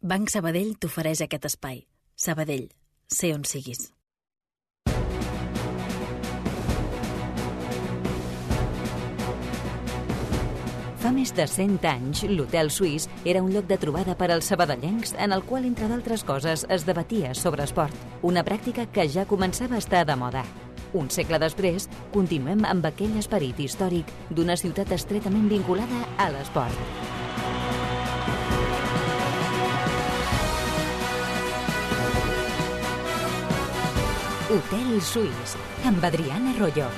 Banc Sabadell t'ofereix aquest espai. Sabadell, sé on siguis. Fa més de 100 anys, l'Hotel Suís era un lloc de trobada per als sabadellencs en el qual, entre d'altres coses, es debatia sobre esport, una pràctica que ja començava a estar de moda. Un segle després, continuem amb aquell esperit històric d'una ciutat estretament vinculada a l'esport. Hotel Suís, amb Adriana Arroyo.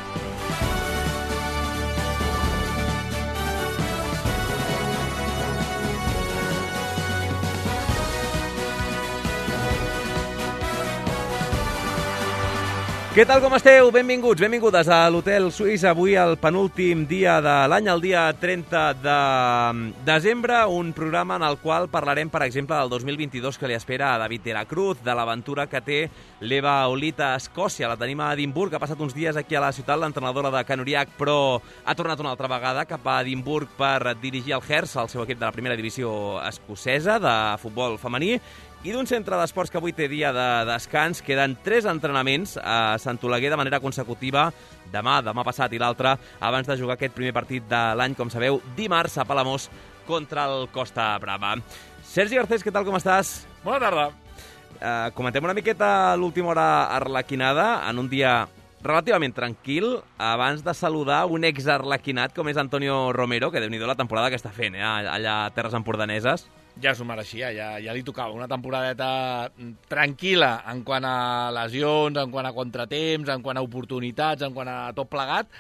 Què tal, com esteu? Benvinguts, benvingudes a l'Hotel Suís. Avui el penúltim dia de l'any, el dia 30 de desembre, un programa en el qual parlarem, per exemple, del 2022 que li espera a David de la Cruz, de l'aventura que té l'Eva Olit a Escòcia. La tenim a Edimburg, ha passat uns dies aquí a la ciutat, l'entrenadora de Canoriac, però ha tornat una altra vegada cap a Edimburg per dirigir el Hearts, el seu equip de la primera divisió escocesa de futbol femení. I d'un centre d'esports que avui té dia de descans, queden 3 entrenaments a Sant Oleguer de manera consecutiva, demà passat i l'altre, abans de jugar aquest primer partit de l'any, com sabeu, dimarts a Palamós contra el Costa Brava. Sergi Garcés, què tal, com estàs? Bona tarda. Comentem una miqueta l'última hora arlequinada, en un dia relativament tranquil, abans de saludar un ex-arlequinat com és Antonio Romero, que déu-n'hi-do la temporada que està fent, allà a Terres Empordaneses. Ja s'ho mereixia, ja li tocava una temporadeta tranquil·la en quant a lesions, en quant a contratemps, en quant a oportunitats, en quant a tot plegat,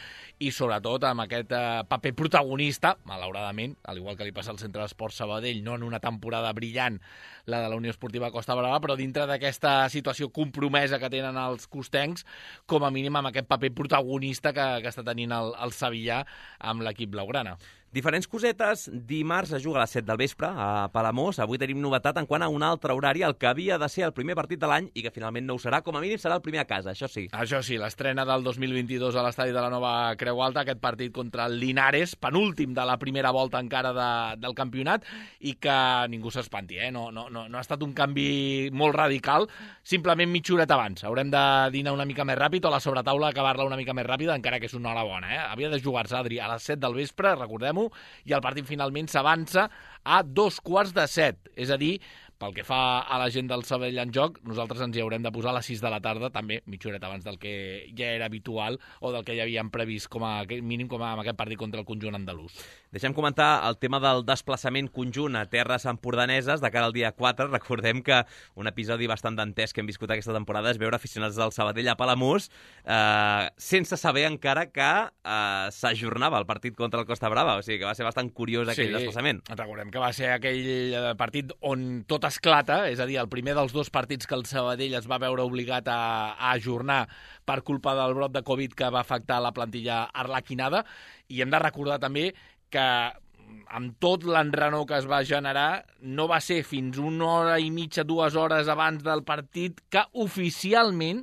i sobretot amb aquest paper protagonista, malauradament, al igual que li passa al Centre d'Esports Sabadell, no en una temporada brillant, la de la Unió Esportiva Costa Brava, però dintre d'aquesta situació compromesa que tenen els costencs, com a mínim amb aquest paper protagonista que està tenint el Sevillà amb l'equip blaugrana. Diferents cosetes. Dimarts es juga a les 7 del vespre a Palamós. Avui tenim novetat en quant a un altre horari, el que havia de ser el primer partit de l'any i que finalment no ho serà. Com a mínim serà el primer a casa, això sí. Això sí, l'estrena del 2022 a l'estadi de la Nova Creu Alta, aquest partit contra el Linares, penúltim de la primera volta encara del campionat, i que ningú s'espanti, no ha estat un canvi molt radical, simplement mitja horeta abans. Haurem de dinar una mica més ràpid o la sobretaula acabar-la una mica més ràpida, encara que és una hora bona. Havia de jugar-se, Adri, a les 7 del vespre, recordem-ho, i el partit finalment s'avança a 2:45, és a dir, pel que fa a la gent del Sabadell en joc, nosaltres ens hi haurem de posar a les 6 de la tarda, també mitja horeta abans del que ja era habitual o del que ja havíem previst com a mínim com amb aquest partit contra el conjunt andalús. Deixem comentar el tema del desplaçament conjunt a Terres Empordaneses de cara al dia 4. Recordem que un episodi bastant dantès que hem viscut aquesta temporada és veure aficionats del Sabadell a Palamós sense saber encara que s'ajornava el partit contra el Costa Brava, o sigui que va ser bastant curiós aquell desplaçament. Recordem que va ser aquell partit on tot esclata, és a dir, el primer dels 2 partits que el Sabadell es va veure obligat a ajornar per culpa del brot de Covid que va afectar la plantilla arlequinada, i hem de recordar també que amb tot l'enrenou que es va generar, no va ser fins una hora i mitja, 2 hores abans del partit que oficialment,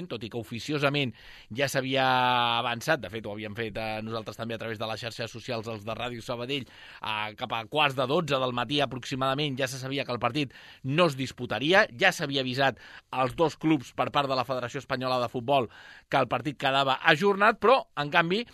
tot i que oficiosament ja s'havia avançat, de fet ho havíem fet nosaltres també a través de les xarxes socials, els de Ràdio Sabadell, cap a 11:15 del matí aproximadament, ja se sabia que el partit no es disputaria, ja s'havia avisat als 2 clubs per part de la Federació Espanyola de Futbol que el partit quedava ajornat, però, en canvi,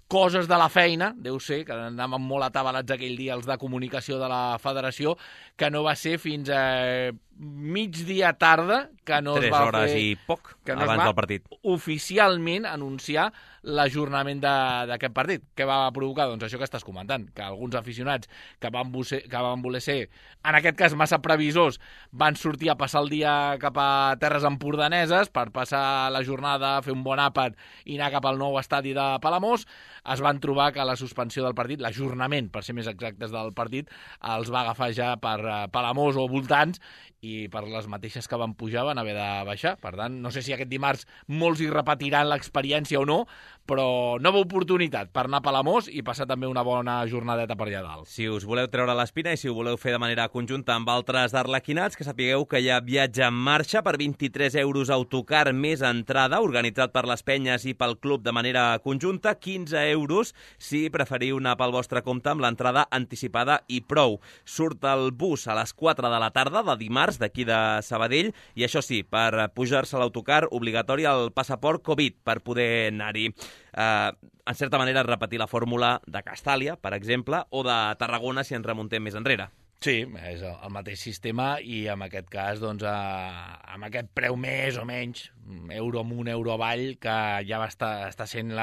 coses de la feina, deu ser, que anàvem molt atabalats aquell dia els de comunicació de la federació, que no va ser fins a migdia tarda que no es va 3 hores i poc abans del partit. Oficialment anunciar l'ajornament d'aquest partit. Què va provocar? Doncs això que estàs comentant, que alguns aficionats que van voler ser, en aquest cas massa previsors, van sortir a passar el dia cap a Terres Empordaneses per passar la jornada, fer un bon àpat i anar cap al nou estadi de Palamós. Es van trobar que la suspensió del partit, l'ajornament, per ser més exactes del partit, els va agafar ja per Palamós o voltants, i per les mateixes que van pujar van haver de baixar. Per tant, no sé si aquest dimarts molts hi repetiran l'experiència o no, però nova oportunitat per anar a Palamós i passar també una bona jornadeta per allà dalt. Si us voleu treure l'espina i si ho voleu fer de manera conjunta amb altres d'arlequinats, que sapigueu que hi ha viatge en marxa per 23 euros autocar més entrada, organitzat per les penyes i pel club de manera conjunta, 15 euros si preferiu anar pel vostre compte amb l'entrada anticipada i prou. Surt el bus a les 4 de la tarda de dimarts d'aquí de Sabadell i això sí, per pujar-se a l'autocar obligatori el passaport Covid per poder anar-hi. En certa manera repetir la fórmula de Castàlia, per exemple, o de Tarragona si ens remuntem més enrere. Sí, és el mateix sistema i en aquest cas, doncs, amb aquest preu més o menys, euro amunt, euro avall, que ja està sent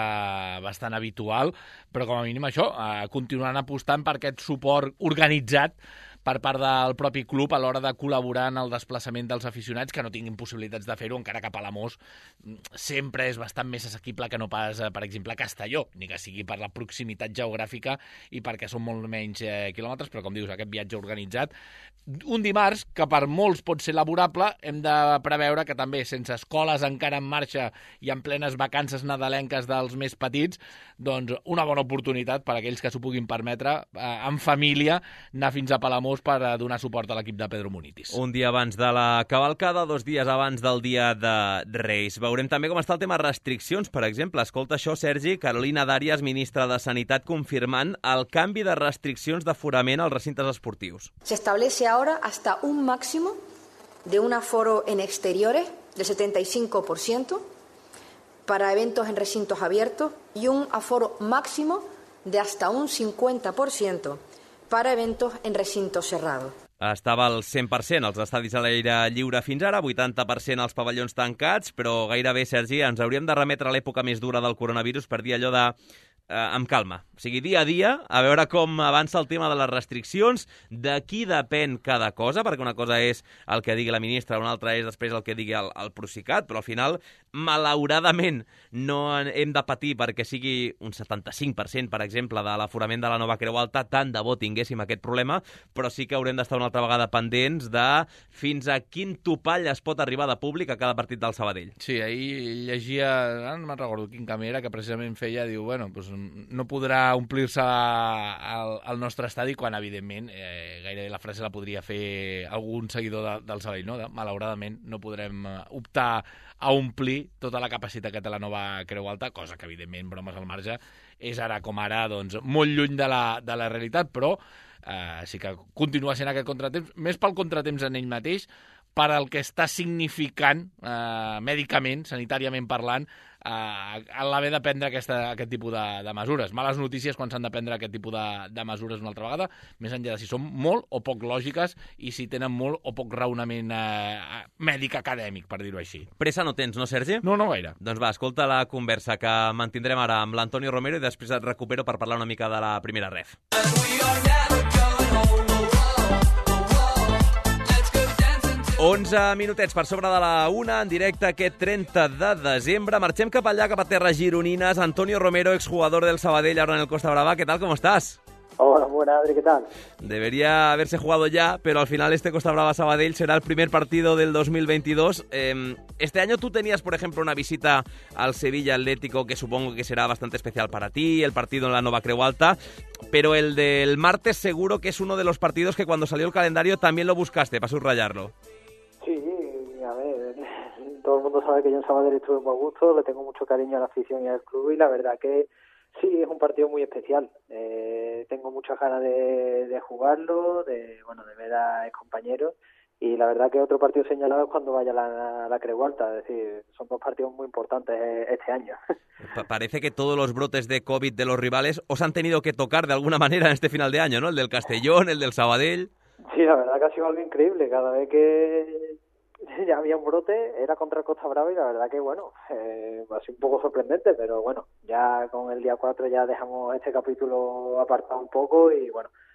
bastant habitual, però com a mínim això, continuant apostant per aquest suport organitzat per part del propi club a l'hora de col·laborar en el desplaçament dels aficionats que no tinguin possibilitats de fer-ho, encara que Palamós sempre és bastant més assequible que no pas, per exemple, Castelló, ni que sigui per la proximitat geogràfica i perquè són molt menys quilòmetres, però com dius, aquest viatge organitzat. Un dimarts que per molts pot ser laborable, hem de preveure que també, sense escoles encara en marxa i en plenes vacances nadalenques dels més petits, doncs una bona oportunitat per a aquells que s'ho puguin permetre en família anar fins a Palamós per donar suport a l'equip de Pedro Munitis. Un dia abans de la cavalcada, 2 dies abans del dia de Reis. Veurem també com està el tema restriccions, per exemple. Escolta això, Sergi, Carolina Dàrias, ministra de Sanitat, confirmant el canvi de restriccions d'aforament als recintes esportius. Se establece ahora hasta un máximo de un aforo en exteriores del 75% para eventos en recintos abiertos y un aforo máximo de hasta un 50% para eventos en recintos cerrados. Estava al 100% als estadis a l'aire lliure fins ara, 80% als pavellons tancats, però gairebé, Sergi, ens hauríem de remetre a l'època més dura del coronavirus per dir allò de amb calma. O sigui, dia a dia, a veure com avança el tema de les restriccions, de qui depèn cada cosa, perquè una cosa és el que digui la ministra, una altra és després el que digui el Procicat, però al final, malauradament, no hem de patir perquè sigui un 75%, per exemple, de l'aforament de la Nova Creu Alta, tant de bo tinguéssim aquest problema, però sí que haurem d'estar una altra vegada pendents de fins a quin topall es pot arribar de públic a cada partit del Sabadell. Sí, ahir llegia, no me'n recordo quin camí era, que precisament feia, diu, bueno, doncs no podrà omplir-se el nostre estadi quan, evidentment, gairebé la frase la podria fer algun seguidor del Sabadell, no? Malauradament no podrem optar a omplir tota la capacitat que té la Nova Creu Alta, cosa que, evidentment, bromes al marge, és ara com ara doncs, molt lluny de la realitat, però sí que continua sent aquest contratemps, més pel contratemps en ell mateix, per al que està significant mèdicament, sanitàriament parlant, a l'haver de prendre aquest tipus de mesures. Males notícies quan s'han de prendre aquest tipus de mesures una altra vegada, més enllà de si són molt o poc lògiques i si tenen molt o poc raonament mèdic acadèmic, per dir-ho així. Pressa no tens, no, Sergi? No gaire. Doncs va, escolta la conversa que mantindrem ara amb l'Antonio Romero i després et recupero per parlar una mica de la primera ref. 11 minutets per sobre de la 1, en directe aquest 30 de desembre. Marxem cap allà, cap a terres gironines. Antonio Romero, exjugador del Sabadell, ahora en el Costa Brava. ¿Qué tal? ¿Cómo estás? Hola, buena, Adri, ¿qué tal? Debería haberse jugado ya, pero al final este Costa Brava Sabadell será el primer partido del 2022. Este año tú tenías, por ejemplo, una visita al Sevilla Atlético, que supongo que será bastante especial para ti, el partido en la Nova Creu Alta, pero el del martes seguro que es uno de los partidos que cuando salió el calendario también lo buscaste para subrayarlo. Sí, a ver, todo el mundo sabe que yo en Sabadell estuve muy a gusto, le tengo mucho cariño a la afición y al club y la verdad que sí, es un partido muy especial. Tengo muchas ganas de jugarlo, de ver a compañeros y la verdad que otro partido señalado es cuando vaya a la Creu Alta, es decir, son dos partidos muy importantes este año. Parece que todos los brotes de COVID de los rivales os han tenido que tocar de alguna manera en este final de año, ¿no? El del Castellón, el del Sabadell. Sí, la verdad que ha sido algo increíble. Cada vez que ya había un brote era contra el Costa Brava y la verdad que, ha sido un poco sorprendente, pero bueno, ya con el día 4 ya dejamos este capítulo apartado un poco y,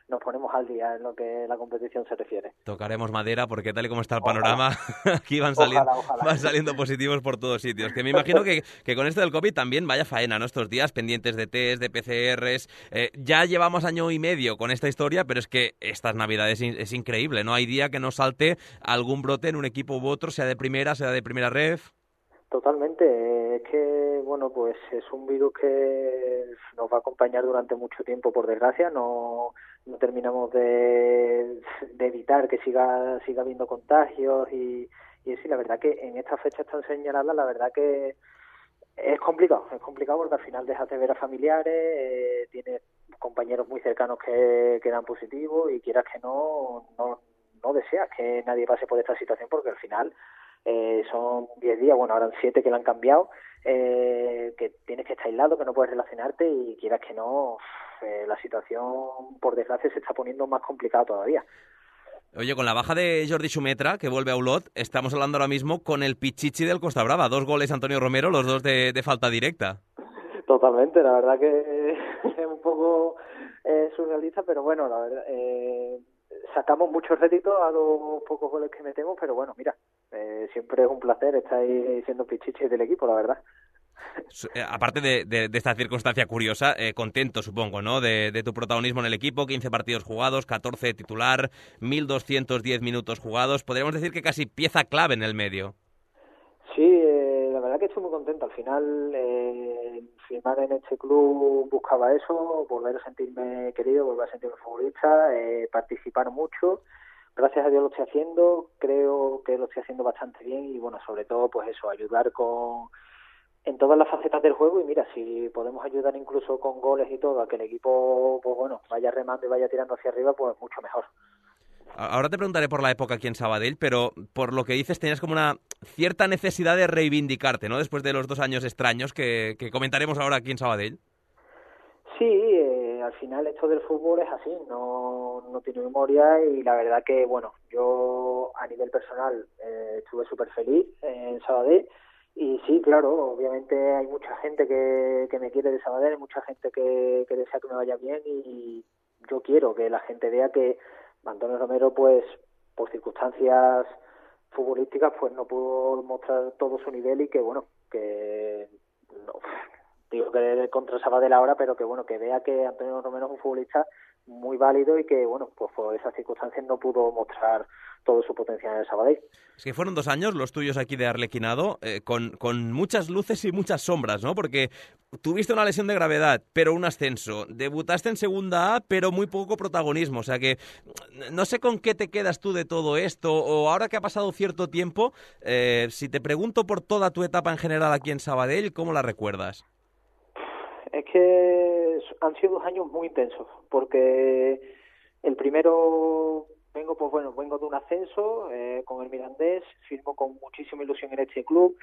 nos ponemos al día en lo que la competición se refiere. Tocaremos madera porque tal y como está el Ojalá. panorama, aquí van saliendo positivos por todos sitios. Que me imagino que con esto del COVID también vaya faena, ¿no? Estos días pendientes de test, de PCRs. Ya llevamos año y medio con esta historia, pero es que estas Navidades es increíble, ¿no? Hay día que no salte algún brote en un equipo u otro, sea de primera ref. Totalmente, es que, bueno, pues es un virus que nos va a acompañar durante mucho tiempo, por desgracia, no terminamos de evitar que siga habiendo contagios y sí, la verdad que en estas fechas tan señaladas, la verdad que es complicado porque al final dejas de ver a familiares, tienes compañeros muy cercanos que dan positivos y quieras que no deseas que nadie pase por esta situación porque al final son 10 días, bueno, ahora han 7 que la han cambiado, que tienes que estar aislado, que no puedes relacionarte y quieras que no, la situación, por desgracia, se está poniendo más complicada todavía. Oye, con la baja de Jordi Xumetra, que vuelve a Olot, estamos hablando ahora mismo con el Pichichi del Costa Brava. 2 goles Antonio Romero, los 2 de falta directa. Totalmente, la verdad que es un poco surrealista, pero bueno, la verdad, sacamos muchos réditos a los pocos goles que metemos, pero bueno, mira, siempre es un placer estar ahí siendo Pichichi del equipo, la verdad. Aparte de esta circunstancia curiosa, contento supongo, ¿no? De tu protagonismo en el equipo, 15 partidos jugados, 14 de titular, 1.210 minutos jugados, podríamos decir que casi pieza clave en el medio. Sí, la verdad que estoy muy contento. Al final, firmar en este club buscaba eso, volver a sentirme querido, volver a sentirme futbolista, participar mucho. Gracias a Dios lo estoy haciendo, creo que lo estoy haciendo bastante bien y bueno, sobre todo pues eso, ayudar en todas las facetas del juego y mira, si podemos ayudar incluso con goles y todo a que el equipo pues bueno, vaya remando y vaya tirando hacia arriba, pues mucho mejor. Ahora te preguntaré por la época aquí en Sabadell, pero por lo que dices tenías como una cierta necesidad de reivindicarte, ¿no? Después de los 2 años extraños que comentaremos ahora aquí en Sabadell. Sí, al final esto del fútbol es así, no tiene memoria y la verdad que, bueno, yo a nivel personal estuve súper feliz en Sabadell y sí, claro, obviamente hay mucha gente que me quiere de Sabadell, hay mucha gente que desea que me vaya bien y yo quiero que la gente vea que Antonio Romero, pues, por circunstancias futbolísticas, pues no pudo mostrar todo su nivel y que, bueno, que no, digo que contra Sabadell ahora, pero que, bueno, que vea que Antonio Romero es un futbolista muy válido y que, bueno, pues por esas circunstancias no pudo mostrar todo su potencial en el Sabadell. Es que fueron 2 años los tuyos aquí de Arlequinado, con muchas luces y muchas sombras, ¿no? Porque tuviste una lesión de gravedad, pero un ascenso. Debutaste en Segunda A, pero muy poco protagonismo. O sea que no sé con qué te quedas tú de todo esto, o ahora que ha pasado cierto tiempo, si te pregunto por toda tu etapa en general aquí en Sabadell, ¿cómo la recuerdas? Es que han sido 2 años muy intensos, porque el primero vengo de un ascenso con el Mirandés, firmo con muchísima ilusión en este club,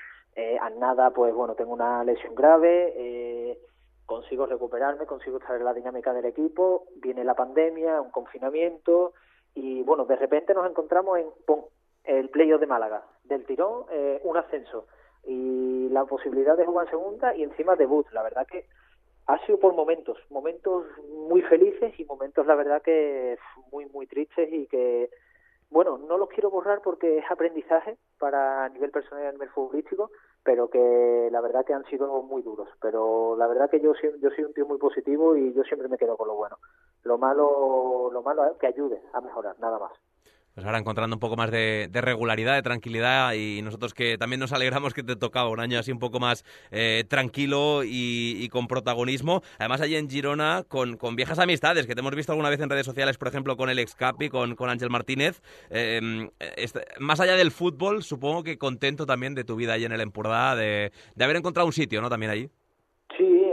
a nada, pues bueno, tengo una lesión grave, consigo recuperarme, consigo estar en la dinámica del equipo, viene la pandemia, un confinamiento y bueno, de repente nos encontramos en el playoff de Málaga, del tirón, un ascenso y la posibilidad de jugar en segunda y encima debut. La verdad que ha sido por momentos muy felices y momentos, la verdad, que muy, muy tristes y que, bueno, no los quiero borrar porque es aprendizaje para a nivel personal y a nivel futbolístico, pero que la verdad que han sido muy duros. Pero la verdad que yo soy un tío muy positivo y yo siempre me quedo con lo bueno. Lo malo es que ayude a mejorar, nada más. Pues ahora encontrando un poco más de regularidad, de tranquilidad y nosotros que también nos alegramos que te tocaba un año así un poco más tranquilo y con protagonismo. Además allí en Girona con viejas amistades que te hemos visto alguna vez en redes sociales, por ejemplo con el ex Capi, con Ángel Martínez. Más allá del fútbol, supongo que contento también de tu vida allí en el Empordà, de haber encontrado un sitio, ¿no? También allí. Sí,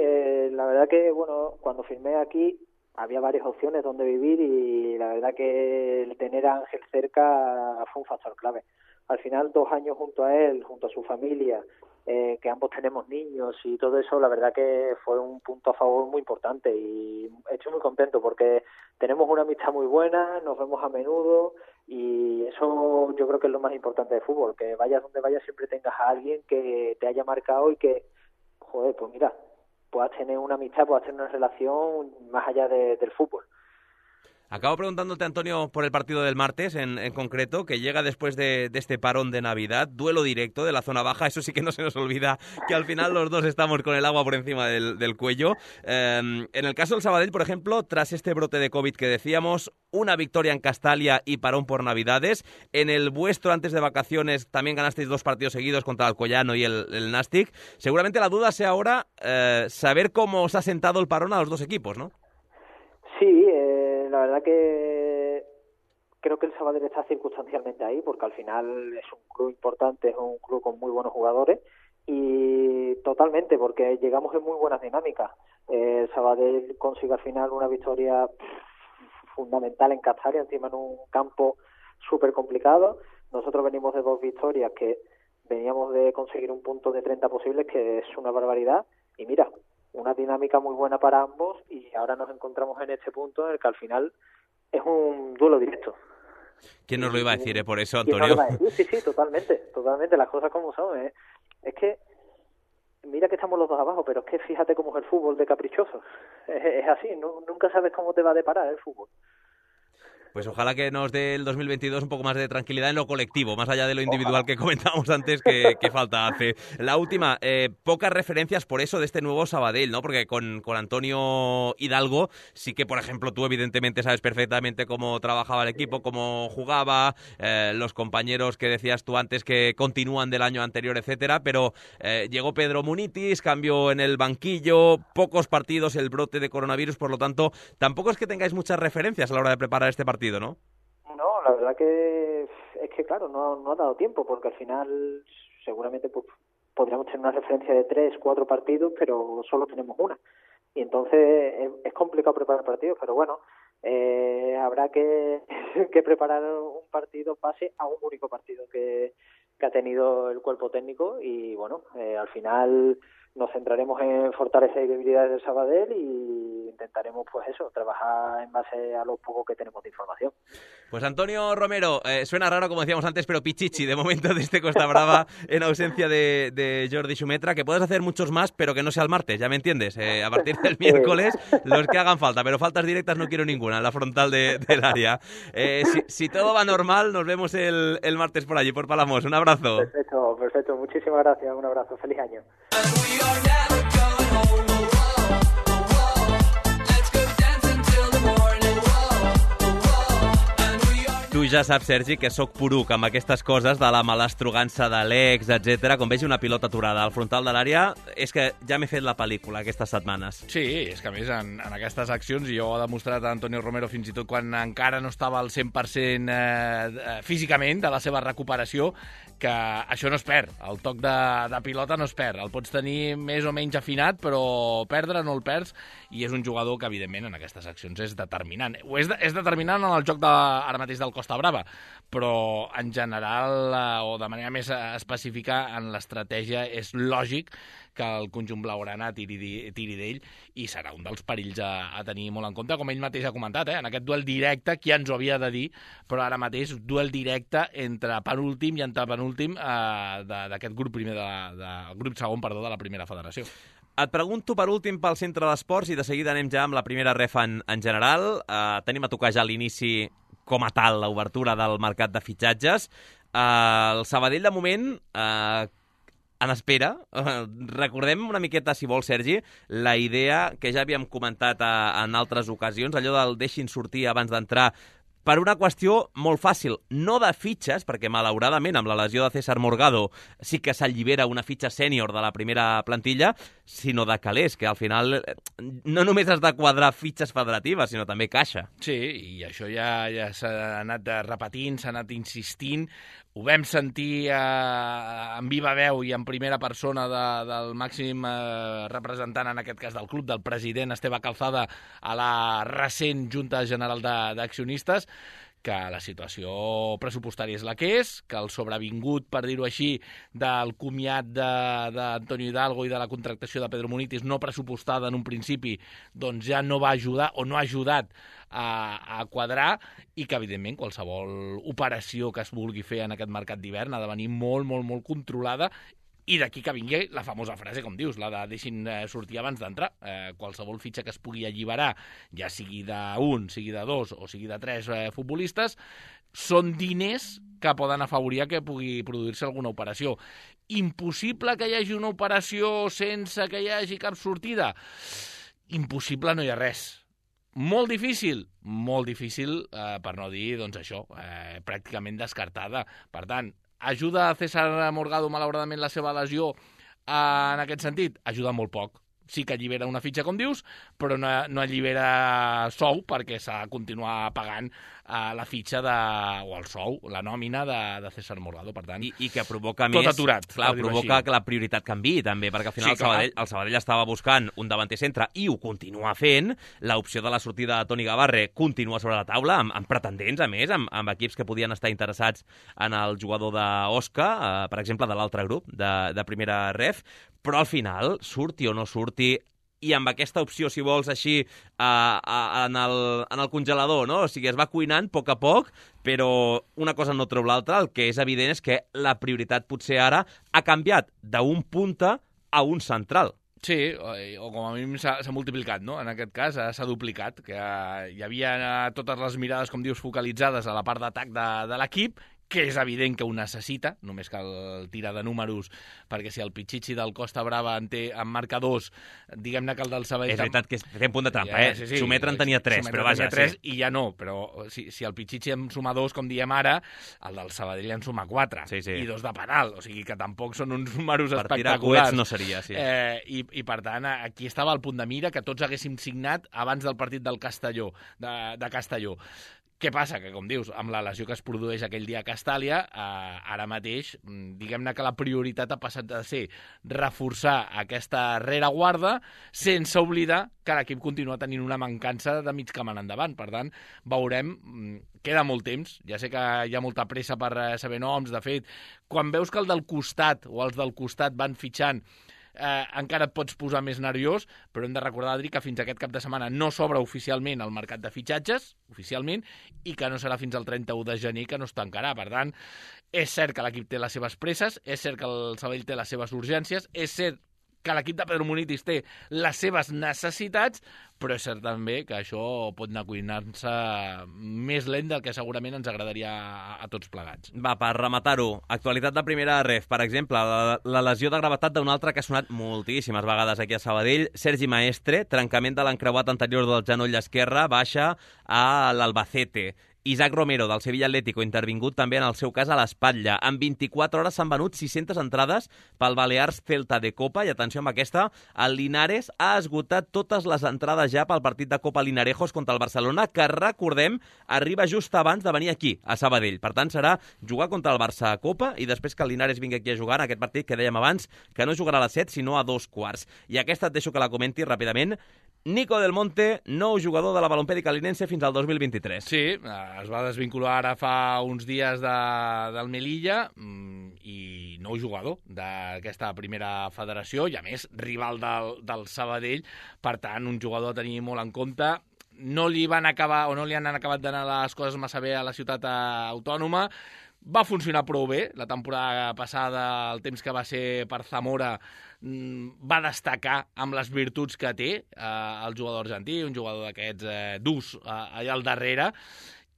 la verdad que, bueno, cuando firmé aquí había varias opciones donde vivir y la verdad que el tener a Ángel cerca fue un factor clave. Al final 2 años junto a él, junto a su familia, que ambos tenemos niños y todo eso, la verdad que fue un punto a favor muy importante y estoy muy contento porque tenemos una amistad muy buena, nos vemos a menudo y eso yo creo que es lo más importante del fútbol, que vayas donde vayas siempre tengas a alguien que te haya marcado y que, joder, pues mira, puedas tener una amistad, puedas tener una relación más allá del fútbol. Acabo preguntándote, Antonio, por el partido del martes en concreto, que llega después de este parón de Navidad, duelo directo de la zona baja, eso sí que no se nos olvida, que al final los dos estamos con el agua por encima del cuello. En el caso del Sabadell, por ejemplo, tras este brote de COVID que decíamos, una victoria en Castalia y parón por Navidades. En el vuestro, antes de vacaciones, también ganasteis 2 partidos seguidos contra el Alcoyano y el Nàstic. Seguramente la duda sea ahora saber cómo os ha sentado el parón a los dos equipos, ¿no? Sí, la verdad que creo que el Sabadell está circunstancialmente ahí, porque al final es un club importante, es un club con muy buenos jugadores, y totalmente, porque llegamos en muy buenas dinámicas. El Sabadell consigue al final una victoria fundamental en Castalia, encima en un campo súper complicado. Nosotros venimos de 2 victorias, que veníamos de conseguir un punto de 30 posibles, que es una barbaridad, y mira, una dinámica muy buena para ambos, y ahora nos encontramos en este punto en el que al final es un duelo directo. ¿Quién nos lo iba a decir, por eso, ¿Quién Antonio? nos lo iba a decir? Sí, totalmente, las cosas como son. Es que, mira que estamos los dos abajo, pero es que fíjate cómo es el fútbol de caprichoso. Es así, nunca sabes cómo te va a deparar el fútbol. Pues ojalá que nos dé el 2022 un poco más de tranquilidad en lo colectivo, más allá de lo individual que comentábamos antes que falta hace. La última, pocas referencias por eso de este nuevo Sabadell, ¿no? Porque con Antonio Hidalgo sí que, por ejemplo, tú evidentemente sabes perfectamente cómo trabajaba el equipo, cómo jugaba, los compañeros que decías tú antes que continúan del año anterior, etcétera, pero llegó Pedro Munitis, cambió en el banquillo, pocos partidos, el brote de coronavirus, por lo tanto, tampoco es que tengáis muchas referencias a la hora de preparar este partido, ¿no? No, la verdad que es que claro, no ha dado tiempo, porque al final seguramente pues, podríamos tener una referencia de 3, 4 partidos, pero solo tenemos una. Y entonces es complicado preparar partidos, pero bueno, habrá que preparar un partido base a un único partido que ha tenido el cuerpo técnico, y bueno, al final nos centraremos en fortalecer debilidades del Sabadell y intentaremos pues eso, trabajar en base a lo poco que tenemos de información. Pues Antonio Romero, suena raro como decíamos antes, pero pichichi de momento de este Costa Brava en ausencia de Jordi Xumetra, que puedes hacer muchos más, pero que no sea el martes, ya me entiendes, a partir del miércoles los que hagan falta, pero faltas directas no quiero ninguna en la frontal del área. Si todo va normal, nos vemos el martes por allí, por Palamos. Un abrazo. Perfecto, muchísimas gracias, un abrazo, feliz año. Tu ja saps, Sergi, que sóc poruc amb aquestes coses de la malastrugança de l'ex, etc. Quan vegi una pilota aturada al frontal de l'àrea, és que ja m'he fet la pel·lícula aquestes setmanes. Sí, és que a més en aquestes accions, i jo ho ha demostrat a Antonio Romero fins i tot quan encara no estava al 100% físicament de la seva recuperació, que això no es perd, el toc de pilota no es perd, el pots tenir més o menys afinat, però perdre no el perds, i és un jugador que, evidentment, en aquestes accions és determinant. És determinant en el joc ara mateix del Costa Brava, però en general, o de manera més específica, en l'estratègia és lògic que el conjunt blaugrana tiri d'ell, i serà un dels perills a tenir molt en compte, com ell mateix ha comentat, en aquest duel directe, qui ens ho havia de dir, però ara mateix duel directe entre penúltim i antepenúltim d'aquest grup primer grup segon, de la primera federació. Et pregunto per últim pel centre d'esports i de seguida anem ja amb la primera ref en general. Tenim a tocar ja l'inici com a tal, l'obertura del mercat de fitxatges. El Sabadell, de moment, en espera. Recordem una miqueta, si vols, Sergi, la idea que ja havíem comentat en altres ocasions, allò del deixin sortir abans d'entrar, per una qüestió molt fàcil, no de fitxes, perquè malauradament amb la lesió de César Morgado sí que s'allibera una fitxa sènior de la primera plantilla, sinó de calés, que al final no només has de quadrar fitxes federatives, sinó també caixa. Sí, i això ja s'ha anat repetint, s'ha anat insistint. Ho vam sentir en viva veu i en primera persona del màxim representant, en aquest cas del club, del president Esteve Calzada, a la recent Junta General d'Accionistes, que la situació pressupostària és la que és, que el sobrevingut, per dir-ho així, del comiat d'Antonio Hidalgo i de la contractació de Pedro Munitis no pressupostada en un principi, doncs ja no va ajudar o no ha ajudat a quadrar, i que, evidentment, qualsevol operació que es vulgui fer en aquest mercat d'hivern ha de venir molt, molt, molt controlada, I d'aquí que vingui la famosa frase, com dius, la de deixin sortir abans d'entrar. Qualsevol fitxa que es pugui alliberar, ja sigui d'un, sigui de dos o sigui de tres futbolistes, són diners que poden afavorir que pugui produir-se alguna operació. Impossible que hi hagi una operació sense que hi hagi cap sortida? Impossible no hi ha res. Molt difícil, per no dir, doncs això, pràcticament descartada. Per tant, ajuda a César Morgado, malauradament, la seva lesió en aquest sentit? Ajuda molt poc. Sí que allibera una fitxa, com dius, però no allibera sou perquè s'ha de continuar pagant la fitxa o el sou, la nòmina de César Morgado. Per tant, I que provoca tot més... aturat. Clar, provoca que la prioritat canviï, també, perquè al final Sí, el Sabadell estava buscant un davanter centre i ho continua fent. L'opció de la sortida de Toni Gavarre continua sobre la taula, amb pretendents, a més, amb equips que podien estar interessats en el jugador d'Osca, per exemple, de l'altre grup, de primera ref, però al final, surti o no surti, i amb aquesta opció, si vols, així, en el congelador, no? O sigui, es va cuinant a poc, però una cosa no treu l'altra. El que és evident és que la prioritat potser ara ha canviat d'un punta a un central. Sí, o com a mínim s'ha multiplicat, no? En aquest cas s'ha duplicat, que hi havia totes les mirades, com dius, focalitzades a la part d'atac de l'equip, que és evident que ho necessita, només cal tirar de números, perquè si el Pichichi del Costa Brava en marca 2, diguem-ne que el del Sabadell... És veritat que té un punt de trampa, Sí. Sometre en tenia 3, però vaja, sí. I ja no, però si el Pichichi en suma 2, com diem ara, el del Sabadell en suma 4, sí. I 2 de penal, o sigui que tampoc són uns números per espectaculars. Per tirar coets no seria, sí. I per tant, aquí estava el punt de mira que tots haguéssim signat abans del partit del Castelló, de Castelló. Què passa? Que, com dius, amb la lesió que es produeix aquell dia a Castàlia, ara mateix, diguem-ne que la prioritat ha passat de ser reforçar aquesta rereguarda sense oblidar que l'equip continua tenint una mancança de mig camp en endavant. Per tant, veurem, queda molt temps, ja sé que hi ha molta pressa per saber noms. De fet, quan veus que el del costat o els del costat van fitxant, encara et pots posar més nerviós, però hem de recordar, Adri, que fins aquest cap de setmana no s'obre oficialment el mercat de fitxatges, oficialment, i que no serà fins al 31 de gener que no es tancarà. Per tant, és cert que l'equip té les seves presses, és cert que el Sabadell té les seves urgències, és cert que l'equip de Pedro Munitis té les seves necessitats, però és cert també que això pot anar cuinant-se més lent del que segurament ens agradaria a tots plegats. Va, per rematar-ho, actualitat de primera ref, per exemple, la lesió de gravetat d'un altre que ha sonat moltíssimes vegades aquí a Sabadell, Sergi Maestre, trencament de l'encreuat anterior del genoll esquerre, baixa a l'Albacete. Isaac Romero, del Sevilla Atlético, intervingut també en el seu cas a l'espatlla. En 24 hores s'han venut 600 entrades pel Balears Celta de Copa, i atenció amb aquesta, el Linares ha esgotat totes les entrades ja pel partit de Copa Linarejos contra el Barcelona, que, recordem, arriba just abans de venir aquí, a Sabadell. Per tant, serà jugar contra el Barça a Copa i després que el Linares vingui aquí a jugar en aquest partit que dèiem abans, que no jugarà a les 7, sinó a 2:15. I aquesta et deixo que la comenti ràpidament. Nico Del Monte, nou jugador de la Balompèdica Linense fins al 2023. Sí, es va desvincular ara fa uns dies del Melilla i nou jugador d'aquesta primera federació i, a més, rival del Sabadell. Per tant, un jugador a tenir molt en compte. No li han acabat d'anar les coses massa bé a la ciutat autònoma. Va funcionar prou bé la temporada passada, el temps que va ser per Zamora va destacar amb les virtuts que té el jugador argentí, un jugador d'aquests durs allà al darrere,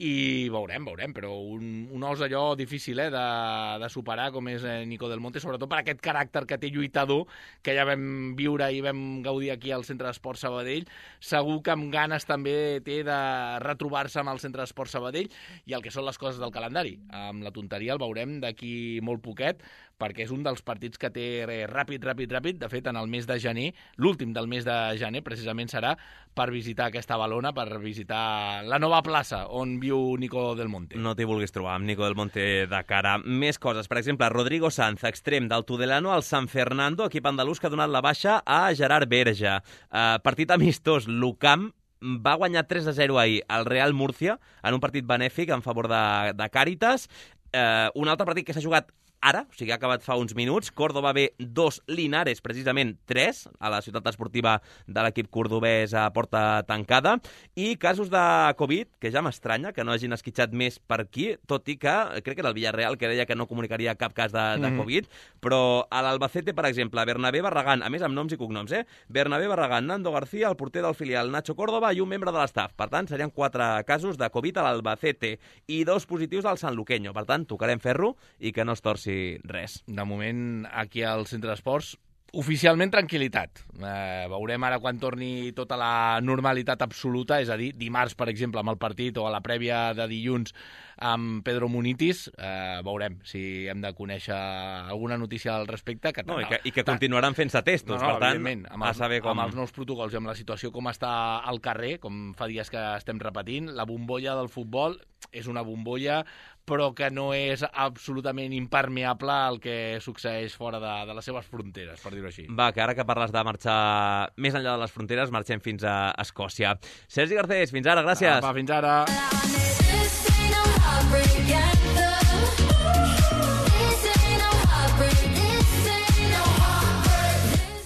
i veurem, però un os allò difícil de superar, com és Nico Del Monte, sobretot per aquest caràcter que té lluitador, que ja vam viure i vam gaudir aquí al Centre d'Esport Sabadell. Segur que amb ganes també té de retrobar-se amb el Centre d'Esport Sabadell, i el que són les coses del calendari. Amb la tonteria el veurem d'aquí molt poquet, perquè és un dels partits que té ràpid. De fet, en el mes de gener, l'últim del mes de gener, precisament serà per visitar aquesta Balona, per visitar la nova plaça on viu Nico Del Monte. No t'hi vulguis trobar amb Nico Del Monte de cara. Més coses. Per exemple, Rodrigo Sanz, extrem del Tudelano al San Fernando, equip andalús que ha donat la baixa a Gerard Berja. Partit amistós, l'UCAM va guanyar 3-0 ahir al Real Murcia en un partit benèfic en favor de Càritas. Un altre partit que s'ha jugat ara, o sigui, ha acabat fa uns minuts. Córdoba B 2, Linares, precisament 3, a la ciutat esportiva de l'equip cordobès a porta tancada. I casos de Covid, que ja m'estranya que no hagin esquitxat més per aquí, tot i que crec que era el Villarreal que deia que no comunicaria cap cas de Covid, però a l'Albacete, per exemple, Bernabé Barragán, a més amb noms i cognoms, Bernabé Barragán, Nando García, el porter del filial Nacho Córdoba i un membre de l'estaf. Per tant, serien 4 casos de Covid a l'Albacete i 2 positius al Sanluqueño. Per tant, tocarem ferro i que no es torci res. De moment, aquí al Centre d'Esports, oficialment tranquil·litat. Veurem ara quan torni tota la normalitat absoluta, és a dir, dimarts, per exemple, amb el partit o a la prèvia de dilluns amb Pedro Munitis, veurem si hem de conèixer alguna notícia al respecte. I que continuaran fent-se testos, per tant, a saber com... Amb els nous protocols i amb la situació com està al carrer, com fa dies que estem repetint, la bombolla del futbol és una bombolla, però que no és absolutament impermeable al que succeeix fora de les seves fronteres, per dir-ho així. Va, que ara que parles de marxar més enllà de les fronteres, marxem fins a Escòcia. Sergi Garcés, fins ara, gràcies. Va, fins ara.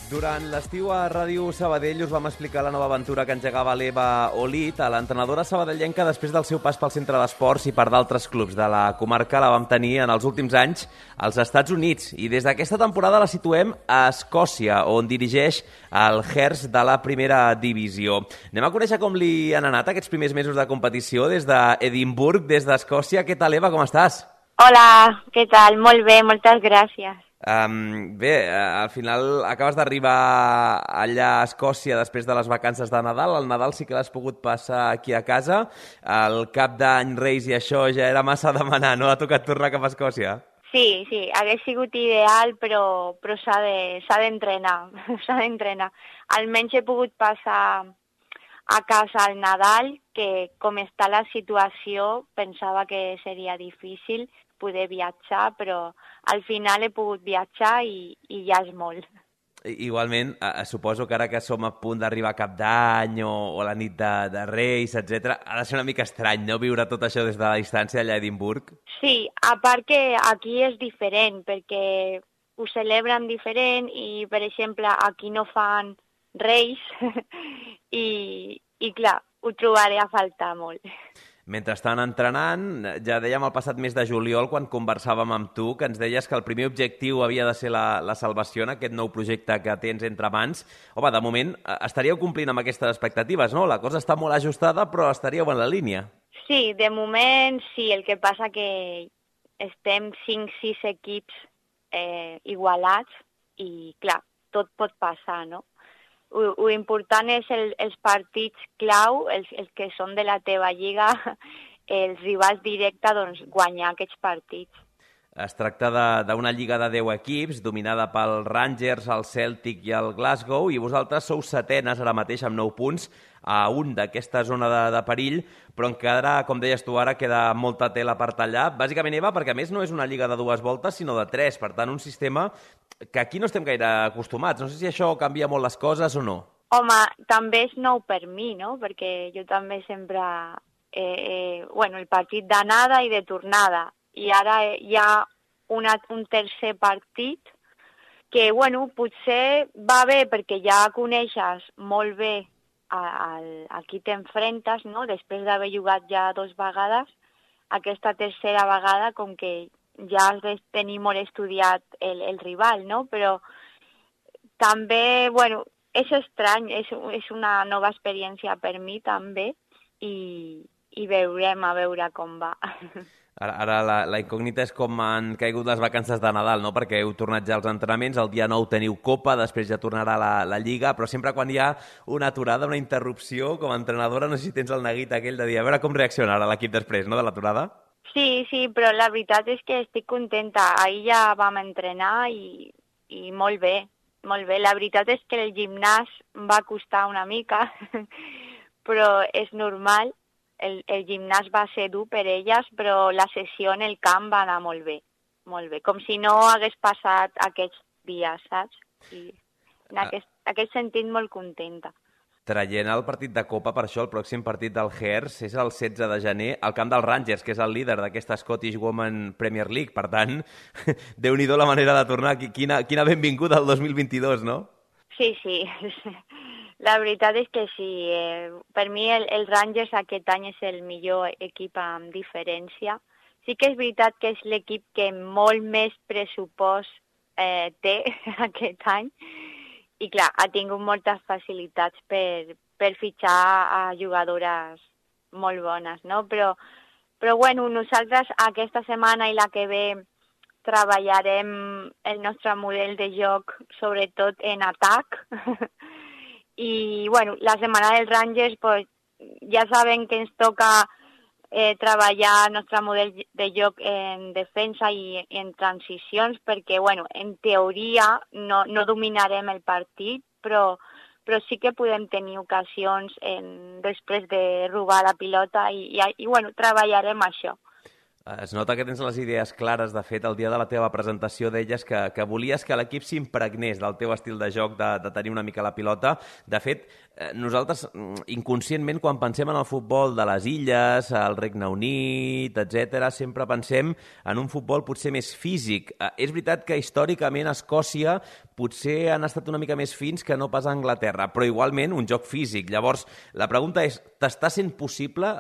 Durant l'estiu a Ràdio Sabadell us vam explicar la nova aventura que engegava l'Eva Olit, a l'entrenadora sabadellenca, després del seu pas pel centre d'esports i per d'altres clubs de la comarca. La vam tenir en els últims anys als Estats Units i des d'aquesta temporada la situem a Escòcia, on dirigeix el Hearts de la primera divisió. Anem a conèixer com li han anat aquests primers mesos de competició des d'Edimburg, des d'Escòcia. Què tal, Eva, com estàs? Hola, què tal? Molt bé, moltes gràcies. Bé, al final acabes d'arribar allà a Escòcia després de les vacances de Nadal. El Nadal sí que l'has pogut passar aquí a casa. El cap d'any, Reis i això ja era massa demanar, no? Ha tocat tornar cap a Escòcia? Sí, hagués sigut ideal, però s'ha d'entrenar, s'ha d'entrenar. Almenys he pogut passar a casa al Nadal, que com està la situació pensava que seria difícil poder viatjar, però al final he pogut viatjar i ja és molt. Igualment, suposo que ara que som a punt d'arribar a cap d'any o la nit de Reis, etc., ha de ser una mica estrany, no?, viure tot això des de la distància allà a Edimburg. Sí, a part que aquí és diferent, perquè ho celebren diferent i, per exemple, aquí no fan Reis i clar, ho trobaré a faltar molt. Mentre estan entrenant, ja dèiem el passat mes de juliol, quan conversàvem amb tu, que ens deies que el primer objectiu havia de ser la salvació en aquest nou projecte que tens entre mans. Home, de moment estaríeu complint amb aquestes expectatives, no? La cosa està molt ajustada, però estaríeu en la línia. Sí, de moment sí. El que passa que estem 5-6 equips igualats i, clar, tot pot passar, no? Lo important és els partits clau, els que són de la teva lliga, els rivals directes, doncs guanyar aquests partits. Es tracta d'una lliga de 10 equips, dominada pel Rangers, el Celtic i el Glasgow, i vosaltres sou setenes ara mateix amb 9 punts, a un d'aquesta zona de perill, però encara, com deies tu ara, queda molta tela per tallar. Bàsicament, Eva, perquè a més no és una lliga de 2 voltes, sinó de 3, per tant, un sistema que aquí no estem gaire acostumats. No sé si això canvia molt les coses o no. Home, també és nou per mi, no? Perquè jo també sempre... el partit d'anada i de tornada. I ara hi ha un tercer partit que, potser va bé perquè ja coneixes molt bé a qui t'enfrentes, no? Després d'haver jugat ja 2 vegades, aquesta tercera vegada, com que ja has de tenir molt estudiat el rival, no? Però també, és estrany, és una nova experiència per mi també i veurem a veure com va. Ara la incògnita és com han caigut les vacances de Nadal, no? Perquè heu tornat ja als entrenaments, el dia 9 teniu Copa, després ja tornarà la Lliga, però sempre quan hi ha una aturada, una interrupció, com a entrenadora, no sé si tens el neguit aquell de dir, a veure com reaccionarà l'equip després, no?, de l'aturada. Sí, però la veritat és que estic contenta. Ahir ja vam entrenar i molt bé, molt bé. La veritat és que el gimnàs va costar una mica, però és normal. El gimnàs va ser dur per elles, però la sessió en el camp va anar molt bé, com si no hagués passat aquests dies, saps? I en aquest sentit molt contenta. traient el partit de Copa, per això el pròxim partit del Hearts és el 16 de gener al camp dels Rangers, que és el líder d'aquesta Scottish Women Premier League. Per tant, Déu-n'hi-do la manera de tornar. Quina benvinguda al 2022, no? Sí. La veritat és que sí. Per mi el Rangers aquest any és el millor equip amb diferència. Sí que és veritat que és l'equip que molt més pressupost té aquest any. I clar, ha tingut moltes facilitats per fitxar a jugadores molt bones, no? Però bueno, nosaltres aquesta setmana i la que ve treballarem el nostre model de joc, sobretot en atac. I bueno, la setmana dels Rangers pues, ja saben que ens toca treballar el nostre model de joc en defensa i en transicions, perquè bueno, en teoria no dominarem el partit, però sí que podem tenir ocasions després de robar la pilota i bueno, treballarem això. Es nota que tens les idees clares. De fet, el dia de la teva presentació deies que volies que l'equip s'impregnés del teu estil de joc, de tenir una mica la pilota. De fet, nosaltres, inconscientment, quan pensem en el futbol de les illes, el Regne Unit, etc., sempre pensem en un futbol potser més físic. És veritat que històricament a Escòcia potser han estat una mica més fins que no pas a Anglaterra, però igualment un joc físic. Llavors, la pregunta és, t'està sent possible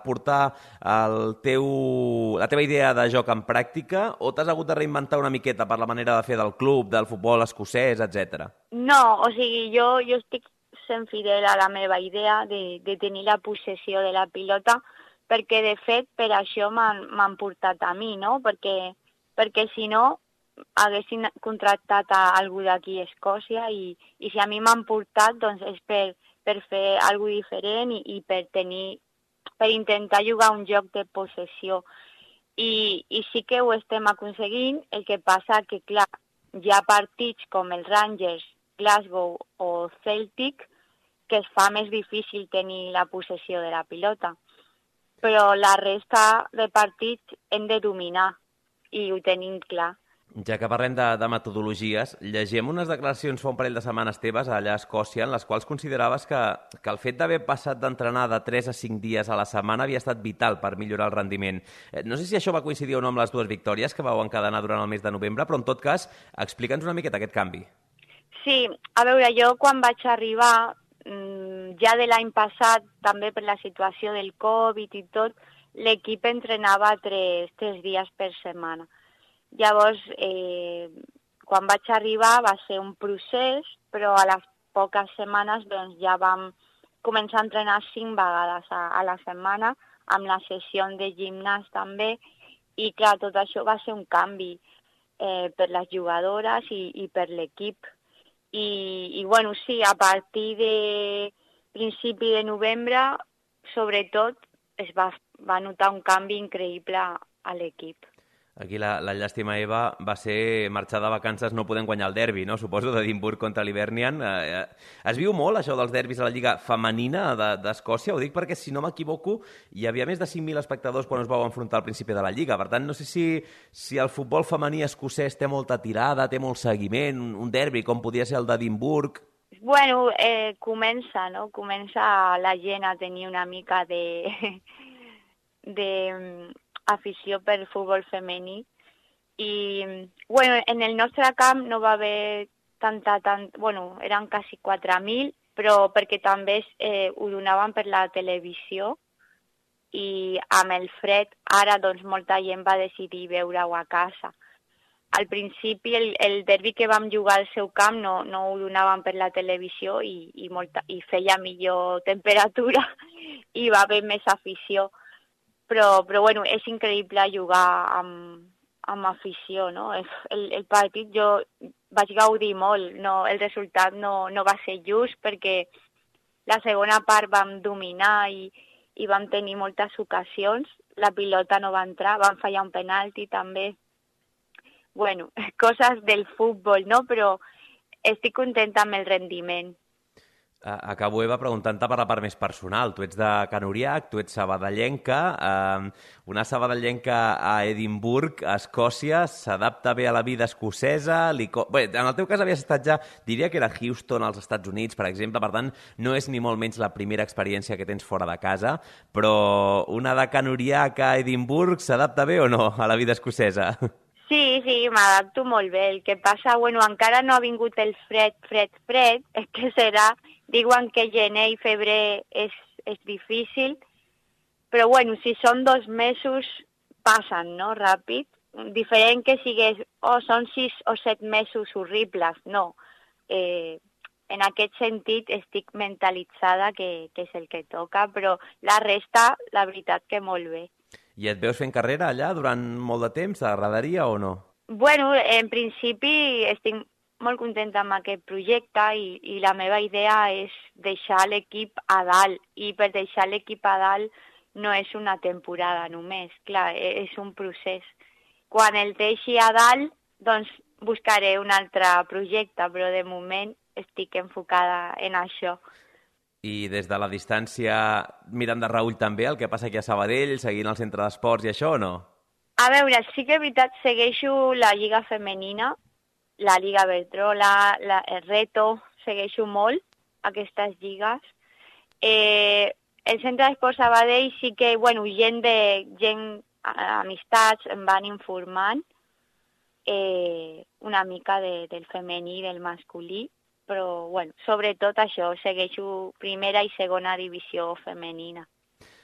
portar la teva idea de joc en pràctica o t'has hagut de reinventar una miqueta per la manera de fer del club, del futbol escocès, etc.? No, o sigui, jo estic sent fidel a la meva idea de tenir la possessió de la pilota, perquè de fet per això m'han portat a mi, no? Perquè si no haguessin contractat a algú d'aquí a Escòcia i si a mi m'han portat doncs és per fer alguna cosa diferent i per intentar jugar un joc de possessió. I sí que ho estem aconseguint, el que passa que, clar, hi ha partits com els Rangers, Glasgow o Celtic que es fa més difícil tenir la possessió de la pilota. Però la resta de partits hem de dominar i ho tenim clar. Ja que parlem de metodologies, llegim unes declaracions fa un parell de setmanes teves allà a Escòcia en les quals consideraves que el fet d'haver passat d'entrenar de 3 a 5 dies a la setmana havia estat vital per millorar el rendiment. No sé si això va coincidir o no amb les 2 victòries que vau encadenar durant el mes de novembre, però en tot cas, explica'ns una miqueta aquest canvi. Sí, a veure, jo quan vaig arribar, ja de l'any passat, també per la situació del Covid i tot, l'equip entrenava 3 dies per setmana. Llavors, quan vaig arribar va ser un procés, però a les poques setmanes doncs, ja vam començar a entrenar 5 vegades a la setmana, amb la sessió de gimnàs també, i clar, tot això va ser un canvi per les jugadores i per l'equip. I bueno, sí, a partir de principi de novembre, sobretot, es va notar un canvi increïble a l'equip. Aquí la llàstima, Eva, va ser marxar de vacances no podent guanyar el derbi, no? Suposo, d'Edimburg contra l'Hibernian. Es viu molt, això dels derbis a la Lliga Femenina d'Escòcia? Ho dic perquè, si no m'equivoco, hi havia més de 5.000 espectadors quan es vau enfrontar al principi de la Lliga. Per tant, no sé si el futbol femení escocès té molta tirada, té molt seguiment, un derbi com podia ser el d'Edimburg. Bueno, comença, no? Comença la gent a tenir una mica de afició per futbol femení i bueno, en el nostre camp no va haver bueno, eren quasi 4.000, però perquè també ho donaven per la televisió i amb el fred ara doncs molta gent va decidir veure-ho a casa. Al principi el derbi que vam jugar al seu camp no ho donaven per la televisió i feia millor temperatura i va haver més afició. Però bueno, és increïble jugar amb afició, no? El partit jo vaig gaudir molt, no, el resultat no va ser just perquè la segona part vam dominar i vam tenir moltes ocasions, la pilota no va entrar, vam fallar un penalti també. Bueno, coses del futbol, no? Però estic contenta amb el rendiment. Acabo, Eva, preguntant-te per la part més personal. Tu ets de Can Uriach, tu ets sabadellenca. Una sabadellenca a Edimburg, a Escòcia, s'adapta bé a la vida escocesa? Bé, en el teu cas havies estat ja, diria que era Houston, als Estats Units, per exemple, per tant, no és ni molt menys la primera experiència que tens fora de casa, però una de Can Uriach a Edimburg s'adapta bé o no a la vida escocesa? Sí, m'adapto molt bé. El que passa, encara no ha vingut el fred, que serà, diuen que gener i febrer és difícil, però si són 2 mesos passen, no?, ràpid. Diferent que sigués, són 6 o 7 mesos horribles, no. En aquest sentit estic mentalitzada que és el que toca, però la resta, la veritat que molt bé. I et veus fent carrera allà durant molt de temps? T'agradaria o no? En principi estic molt contenta amb aquest projecte i la meva idea és deixar l'equip a dalt. I per deixar l'equip a dalt no és una temporada només, clar, és un procés. Quan el deixi a dalt, doncs buscaré un altre projecte, però de moment estic enfocada en això. I des de la distància mirant de reüll també el que passa aquí a Sabadell, seguint el centre d'esports i això o no? A veure, sí que és veritat, segueixo la Lliga Femenina, la Lliga Bertrola, el Reto, segueixo molt aquestes lligues. El centre d'esports Sabadell sí que, gent, amistats em van informant una mica del femení i del masculí, però, sobretot això, segueixo primera i segona divisió femenina.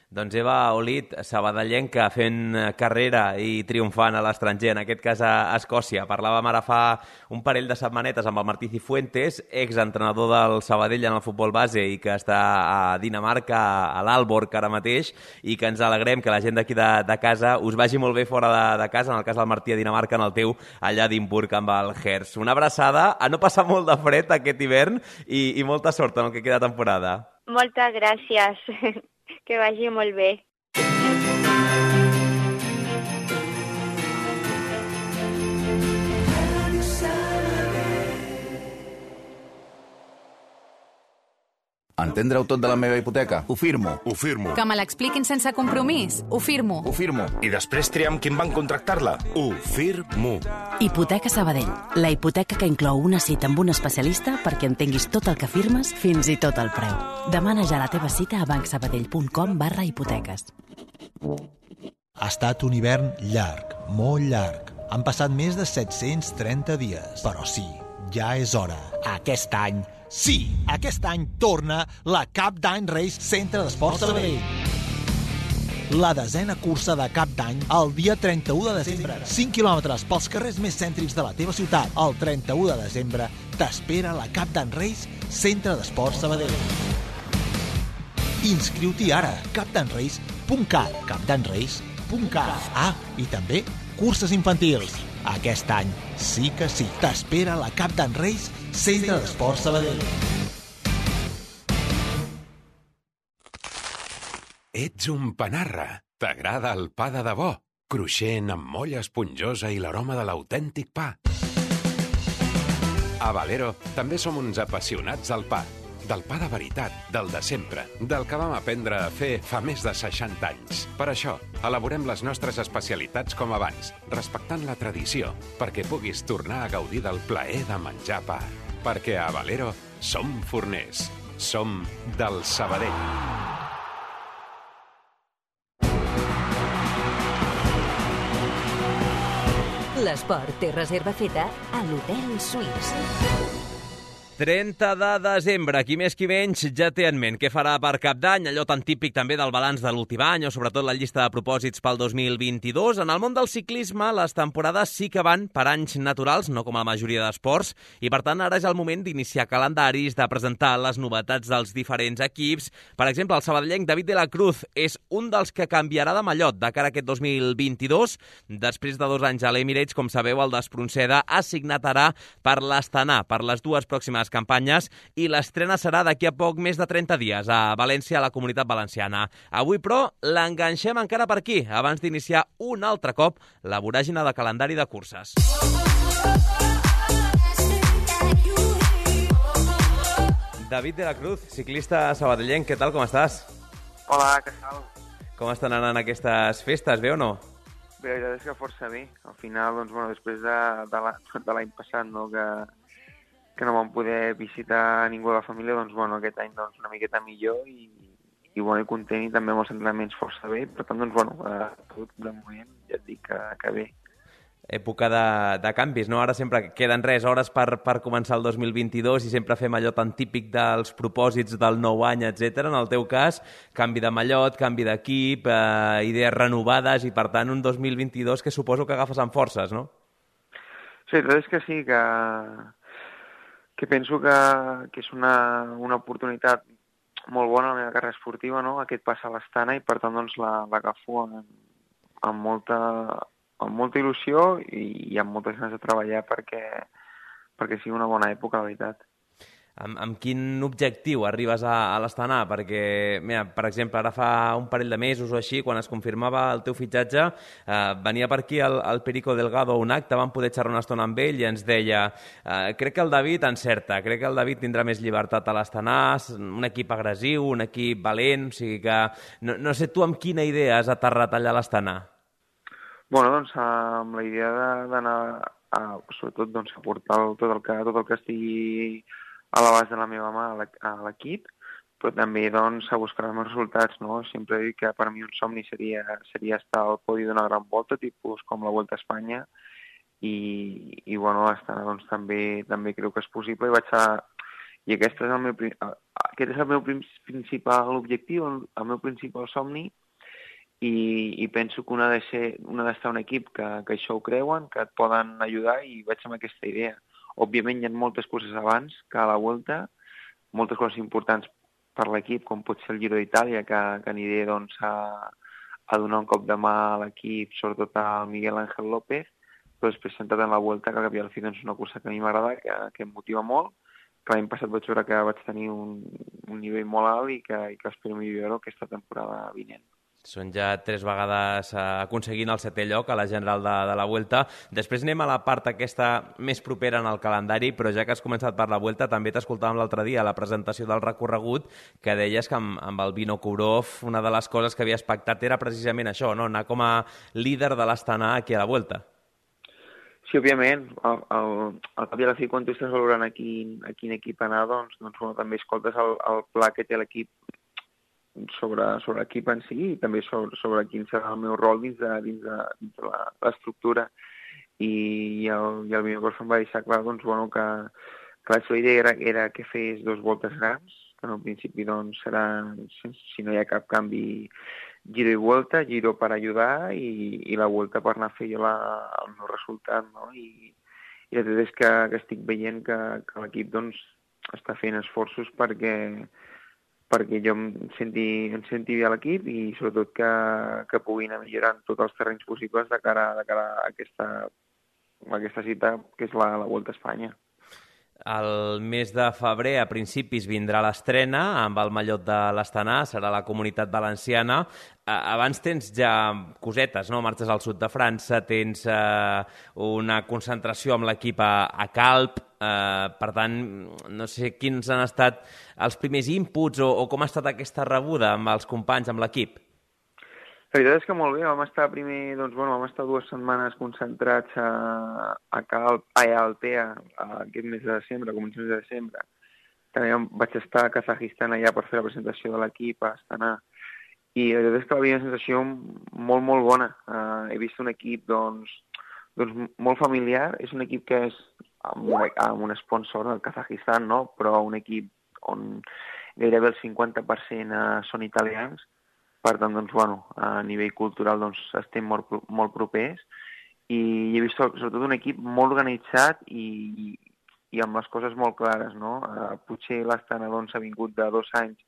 Doncs Eva Olid, sabadellenca, fent carrera i triomfant a l'estranger, en aquest cas a Escòcia. Parlàvem ara fa un parell de setmanetes amb el Martí Cifuentes, exentrenador del Sabadell en el futbol base i que està a Dinamarca, a l'Aalborg ara mateix, i que ens alegrem que la gent d'aquí de casa us vagi molt bé fora de casa, en el cas del Martí a Dinamarca, en el teu allà a Edimburg amb el Hertz. Una abraçada, a no passar molt de fred aquest hivern i molta sort en el que queda de temporada. Moltes gràcies. Que vagi molt bé. Entendre-ho tot de la meva hipoteca? Ho firmo. Ho firmo. Que me l'expliquin sense compromís? Ho firmo. Ho firmo. I després triar amb qui em van contractar-la? Ho firmo. Hipoteca Sabadell. La hipoteca que inclou una cita amb un especialista perquè entenguis tot el que firmes, fins i tot el preu. Demana ja la teva cita a bancsabadell.com/hipoteques. Ha estat un hivern llarg, molt llarg. Han passat més de 730 dies. Però sí, ja és hora. Aquest any torna la Cap d'Any Race Centre d'Esports Sabadell. La 10ª cursa de Cap d'Any el dia 31 de desembre. 5 quilòmetres pels carrers més cèntrics de la teva ciutat. El 31 de desembre t'espera la Cap d'Any Race Centre d'Esports Sabadell. Inscriu-t'hi ara. capdanrace.cat. capdanrace.cat. I també curses infantils. Aquest any sí que sí. T'espera la Cap d'Any Race Centre d'Esports Sabadell. Ets un panarra. T'agrada el pa de debò? Cruixent, amb molla esponjosa i l'aroma de l'autèntic pa. A Valero també som uns apassionats del pa. Del pa de veritat, del de sempre, del que vam aprendre a fer fa més de 60 anys. Per això, elaborem les nostres especialitats com abans, respectant la tradició, perquè puguis tornar a gaudir del plaer de menjar pa. Perquè a Valero som forners. Som del Sabadell. L'esport té reserva feta a l'Hotel Suís. 30 de desembre, qui més qui menys ja té en ment què farà per Cap d'Any, allò tan típic també del balanç de l'últim any o sobretot la llista de propòsits pel 2022. En el món del ciclisme les temporades sí que van per anys naturals, no com a la majoria d'esports, i per tant ara és el moment d'iniciar calendaris, de presentar les novetats dels diferents equips. Per exemple, el sabadellenc David de la Cruz és un dels que canviarà de mallot de cara a aquest 2022. Després de 2 anys a l'Emirates, com sabeu, el d'Espronceda ha signat ara per l'Astana, per les 2 pròximes campanyes, i l'estrena serà d'aquí a poc més de 30 dies a València, a la Comunitat Valenciana. Avui, però, l'enganxem encara per aquí, abans d'iniciar un altre cop la voràgina de calendari de curses. David de la Cruz, ciclista sabadellenc, què tal, com estàs? Hola, què tal? Com estan anant aquestes festes, bé o no? Bé, la veritat és que força bé. Al final, doncs, bueno, després de l'any passat, no, que no vam poder visitar ningú de la família, doncs, bueno, aquest any doncs, una miqueta millor i bueno, i content i també amb els entrenaments força bé. Per tant, doncs, bueno, tot de moment ja et dic que bé. Època de canvis, no? Ara sempre queden hores per començar el 2022 i sempre fem allò tan típic dels propòsits del nou any, etc. En el teu cas, canvi de mallot, canvi d'equip, idees renovades i, per tant, un 2022 que suposo que agafes amb forces, no? Sí, la veritat és que sí, que penso que és una oportunitat molt bona a la meva carrera esportiva, no? Aquest pas a l'Astana i, per tant, doncs, l'agafo amb molta il·lusió i amb moltes ganes de treballar perquè sigui una bona època, la veritat. Amb quin objectiu arribes a l'Astana? Perquè, mira, per exemple, ara fa un parell de mesos o així, quan es confirmava el teu fitxatge, venia per aquí el Perico Delgado a un acte, vam poder xerrar una estona amb ell i ens deia crec que el David encerta, crec que el David tindrà més llibertat a l'Astana, un equip agressiu, un equip valent, o sigui que no sé tu amb quina idea has aterrat allà a l'Astana. Bueno, doncs amb la idea d'anar sobretot doncs, a portar tot el que estigui a l'abast de la meva mà a l'equip, però també doncs, a buscar els meus resultats, no? Sempre dic que per mi un somni seria estar al podi d'una gran volta, tipus com la Volta a Espanya, i bueno, doncs, també crec que és possible i aquest és el meu principal objectiu, el meu principal somni, i penso que un ha d'estar un equip que això ho creuen, que et poden ajudar i vaig amb aquesta idea. Òbviament hi ha moltes coses abans que a la Volta, moltes coses importants per l'equip, com pot ser el Giro d'Itàlia, que aniré doncs, a donar un cop de mà a l'equip, sobretot al Miguel Ángel López, però després centrat en la Volta, que al cap i al fi és una cursa que a mi m'agrada, que em motiva molt, que l'any passat vaig veure que vaig tenir un nivell molt alt i que espero millorar-ho aquesta temporada vinent. Són ja 3 vegades aconseguint el 7è lloc a la general de la Vuelta. Després anem a la part aquesta més propera en el calendari, però ja que has començat per la Vuelta, també t'escoltàvem l'altre dia a la presentació del recorregut que deies que amb el Vinokourov una de les coses que havies pactat era precisament això, no? Anar com a líder de l'Astana aquí a la Vuelta. Sí, òbviament. Al cap i a la fi, quan tu estàs valorant a quin equip anar, doncs bueno, també escoltes el pla que té l'equip sobre l'equip en si i també sobre quin serà el meu rol dins de l'estructura. I el Vinokourov em va deixar clar doncs, bueno, que la seva idea era que fes 2 voltes grans, que en un principi doncs, seran, si no hi ha cap canvi, Giro i Vuelta, Giro per ajudar i la Vuelta per anar a fer jo el meu resultat. No? I la veritat és que estic veient que l'equip doncs, està fent esforços perquè jo em senti bé a l'equip i sobretot que pugui anar millorant tots els terrenys possibles de cara a aquesta cita que és la Volta a Espanya. El mes de febrer, a principis, vindrà l'estrena amb el mallot de l'Astana, serà la Comunitat Valenciana. Abans tens ja cosetes, no? Marxes al sud de França, tens una concentració amb l'equip a Calp, per tant, no sé quins han estat els primers inputs o com ha estat aquesta rebuda amb els companys, amb l'equip. La veritat és que molt bé, vam estar 2 setmanes concentrats a Calp, a Altea, aquest mes de desembre, començaments de desembre. També vaig estar a Kazajistan allà per fer la presentació de l'equip a Astana. I la veritat és que va haver una sensació molt, molt bona. He vist un equip doncs, molt familiar. És un equip que és amb un sponsor del Kazajistan, no? Però un equip on gairebé el 50% són italians. Per tant, doncs, bueno, a nivell cultural doncs, estem molt propers i he vist sobretot un equip molt organitzat i amb les coses molt clares. No? Potser l'Astana doncs, ha vingut de 2 anys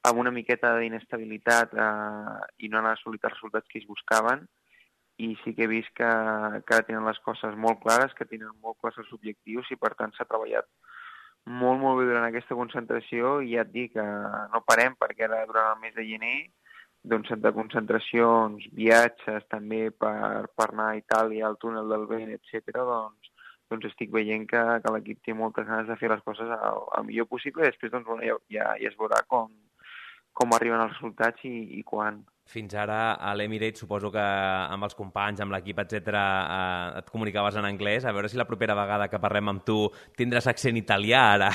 amb una miqueta d'inestabilitat i no han assolit els resultats que ells buscaven i sí que he vist que ara tenen les coses molt clares, que tenen molt clars els objectius i per tant s'ha treballat molt, molt bé durant aquesta concentració i ja et dic que no parem perquè ara durant el mes de gener doncs de concentracions, viatges també per anar a Itàlia, al túnel del Vent, etc. doncs doncs estic veient que l'equip té moltes ganes de fer les coses el millor possible i després doncs, bueno, ja es veurà com arriben els resultats i quan. Fins ara a l'Emirates suposo que amb els companys, amb l'equip, etc, et comunicaves en anglès. A veure si la propera vegada que parlem amb tu tindràs accent italià ara.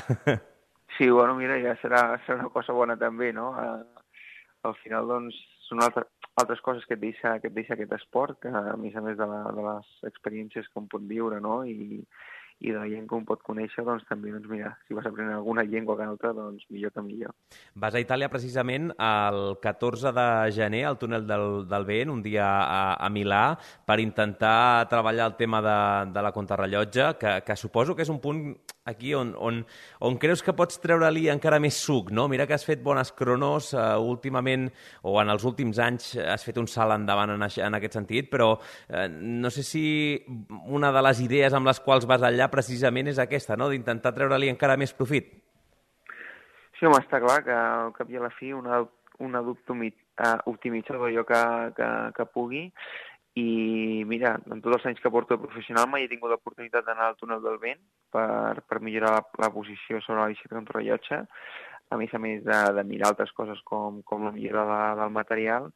Sí, bueno, mira, ja serà una cosa bona també, no? Al final, doncs, són altres coses que et deixa aquest esport, que a més de les experiències que un pot viure, no? I de la gent que un pot conèixer, doncs també, doncs mira, si vas aprendre alguna llengua que altra, doncs millor que millor. Vas a Itàlia precisament el 14 de gener, al túnel del vent, un dia a Milà, per intentar treballar el tema de la contrarrellotge, que suposo que és un punt aquí on creus que pots treure-li encara més suc, no? Mira que has fet bones cronos últimament, o en els últims anys has fet un salt endavant en aquest sentit, però no sé si una de les idees amb les quals vas allà precisament és aquesta, no? D'intentar treure-li encara més profit. Sí, home, està clar que al cap i a la fi un adulto optimitza allò que pugui. I mira, en tots els anys que porto de professional mai he tingut l'oportunitat d'anar al túnel del vent per millorar la posició sobre la bicicleta contrarellotge, a més de mirar altres coses com la millora del material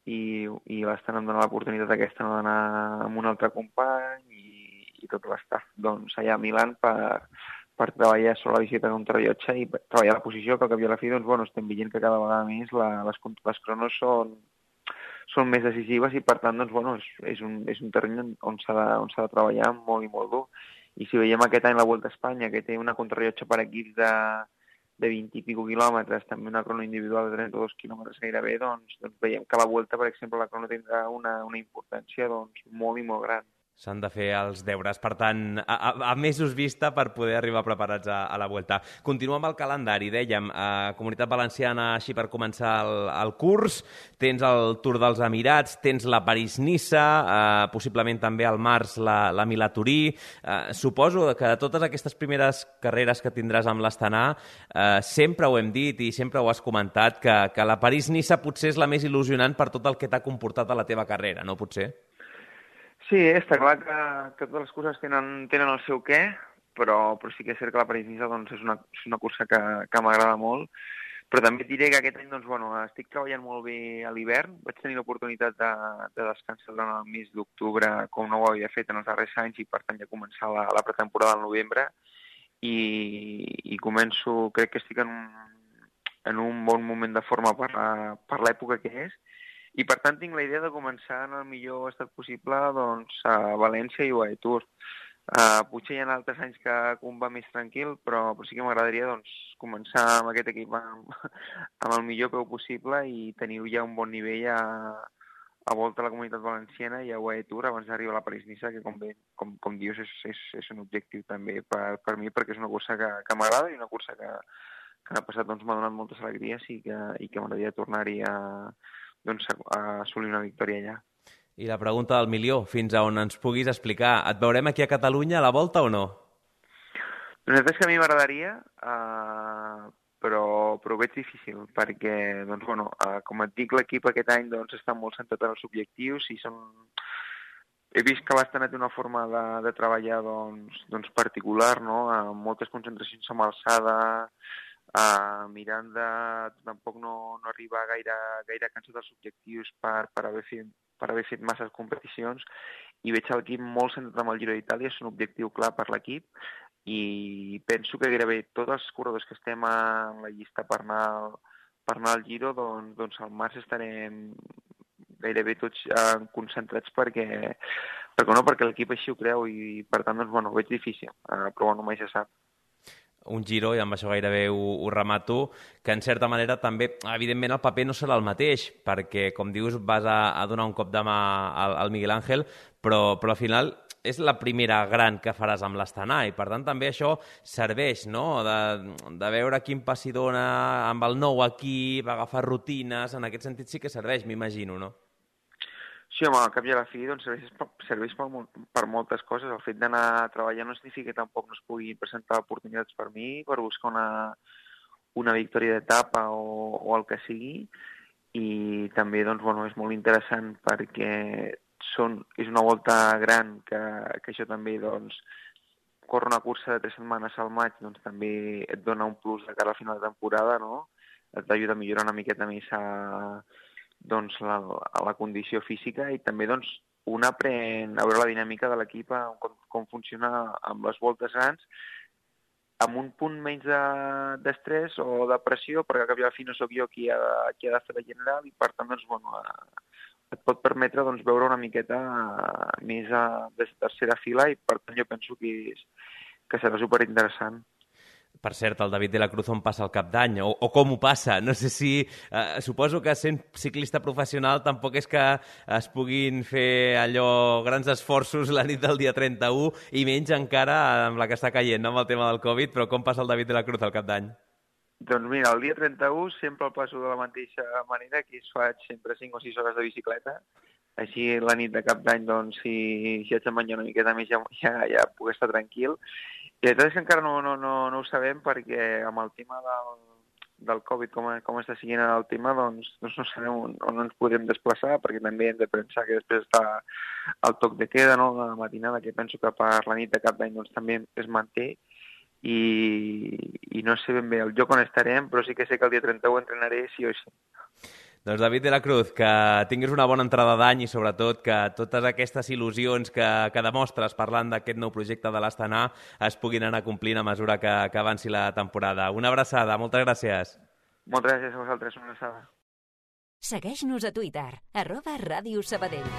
i bastant em dona l'oportunitat aquesta d'anar amb un altre company i tot l'estaf doncs, allà a Milan per treballar sobre la bicicleta contrarellotge i treballar la posició, que al cap i a la fi doncs, bueno, estem veient que cada vegada més les cronos són més decisives i, per tant, doncs, bueno, és un terreny on s'ha de treballar molt i molt dur. I si veiem aquest any la Volta a Espanya, que té una contrarrellotge per equips de 20 i pico quilòmetres, també una crono individual de 32 quilòmetres gairebé, doncs veiem que la Volta, per exemple, la crono tindrà una importància doncs, molt i molt gran. S'han de fer els deures, per tant, a mesos vista per poder arribar preparats a la Vuelta. Continuem amb el calendari, dèiem, Comunitat Valenciana, així per començar el curs, tens el Tour dels Emirats, tens la París-Niça, possiblement també al març la Milà-Turí. Suposo que de totes aquestes primeres carreres que tindràs amb l'Astana, sempre ho hem dit i sempre ho has comentat, que la París-Niça potser és la més il·lusionant per tot el que t'ha comportat a la teva carrera, no potser? Sí, està clar que totes les curses tenen el seu què, però sí que és cert que la París-Niça doncs, és una cursa que m'agrada molt, però també et diré que aquest any doncs, bueno, estic treballant molt bé a l'hivern. Vaig tenir l'oportunitat de descansar durant el mes d'octubre, com no ho havia fet en els darrers anys, i per tant ja començar la pretemporada al novembre, i començo, crec que estic en un bon moment de forma per l'època que és, i per tant tinc la idea de començar en el millor estat possible doncs, a València i UAE Tour. Potser hi ha altres anys que un va més tranquil, però sí que m'agradaria doncs, començar amb aquest equip amb el millor peu possible i tenir ja un bon nivell a volta a la Comunitat Valenciana i a UAE Tour abans d'arribar a la París-Niça, que com dius és un objectiu també per mi, perquè és una cursa que m'agrada i una cursa que l'any passat doncs, m'ha donat moltes alegries i que m'agradaria tornar-hi a assolir una victòria allà. I la pregunta del milió, fins a on ens puguis explicar. Et veurem aquí a Catalunya a la Volta o no? Doncs és que a mi m'agradaria, però ho veig difícil, perquè, doncs, bueno, com et dic, l'equip aquest any doncs, està molt centrat en els objectius i he vist que l'Astana té una forma de treballar doncs, particular, no? Amb moltes concentracions amb alçada, mirant de tampoc no arribar gaire cansat dels objectius per haver fet masses competicions, i veig l'equip molt centrat amb el Giro d'Itàlia, és un objectiu clar per l'equip, i penso que gairebé tots els corredors que estem en la llista per anar al Giro, doncs al març estarem gairebé tots concentrats perquè l'equip així ho creu, i per tant doncs, bueno, ho veig difícil, però bueno, mai se sap. Un Giro, i amb això gairebé ho remato, que en certa manera també, evidentment, el paper no serà el mateix, perquè, com dius, vas a donar un cop de mà al Miguel Ángel, però al final és la primera gran que faràs amb l'Astana, i per tant també això serveix, no?, de veure quin passi dona amb el nou equip, agafar rutines, en aquest sentit sí que serveix, m'imagino, no? Sí, home, al cap i a la fi doncs, serveix per moltes coses. El fet d'anar a treballar no significa que tampoc no es pugui presentar oportunitats per mi, per buscar una victòria d'etapa o el que sigui. I també doncs, bueno, és molt interessant perquè és una volta gran que això també doncs, córrer una cursa de 3 setmanes al maig doncs també et dona un plus de cara al final de temporada, no? Et ajuda a millorar una miqueta més doncs, la condició física i també doncs, un aprèn a veure la dinàmica de l'equip, com funciona amb les voltes grans, amb un punt menys d'estrès o de pressió, perquè al cap i a la fi no sóc jo qui ha de fer la general i per tant doncs, bueno, et pot permetre doncs, veure una miqueta més de tercera fila i per tant jo penso que serà superinteressant. Per cert, el David de la Cruz on passa el cap d'any, o com ho passa? No sé si... suposo que sent ciclista professional tampoc és que es puguin fer allò grans esforços la nit del dia 31 i menys encara amb la que està caient, no? Amb el tema del Covid, però com passa el David de la Cruz al cap d'any? Doncs mira, el dia 31 sempre el passo de la mateixa manera, que faig sempre 5 o 6 hores de bicicleta. Així la nit de cap d'any, doncs, si haig de menjar una miqueta més ja puc estar tranquil. I la veritat és que encara no ho sabem perquè amb el tema del Covid, com està seguint el tema, doncs no sabem on ens podrem desplaçar, perquè també hem de pensar que després està el toc de queda, no?, de la matinada, que penso que per la nit de cap d'any doncs, també es manté, i no sé ben bé el lloc on estarem, però sí que sé que el dia 31 entrenaré sí o sí. Doncs David de la Cruz, que tinguis una bona entrada d'any i sobretot que totes aquestes il·lusions que demostres parlant d'aquest nou projecte de l'Astana es puguin anar complint a mesura que avanci la temporada. Una abraçada, moltes gràcies. Moltes gràcies a vosaltres, una abraçada. Segueix-nos a Twitter, @Ràdio Sabadell.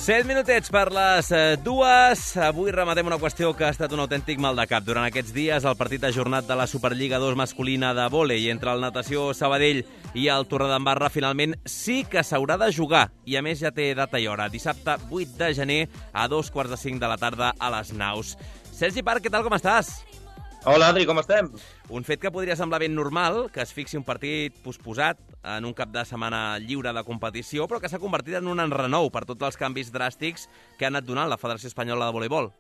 7 minutets per les 2. Avui rematem una qüestió que ha estat un autèntic mal de cap. Durant aquests dies, el partit ajornat de la Superliga 2 masculina de vòlei entre el Natació Sabadell i el Torredembarra finalment sí que s'haurà de jugar. I a més ja té data i hora. Dissabte 8 de gener a 2:45 de la tarda a les Naus. Sergi Parc, què tal, com estàs? Hola, Adri, com estem? Un fet que podria semblar ben normal, que es fixi un partit posposat en un cap de setmana lliure de competició, però que s'ha convertit en un enrenou per tots els canvis dràstics que ha anat donant la Federació Espanyola de Voleibol.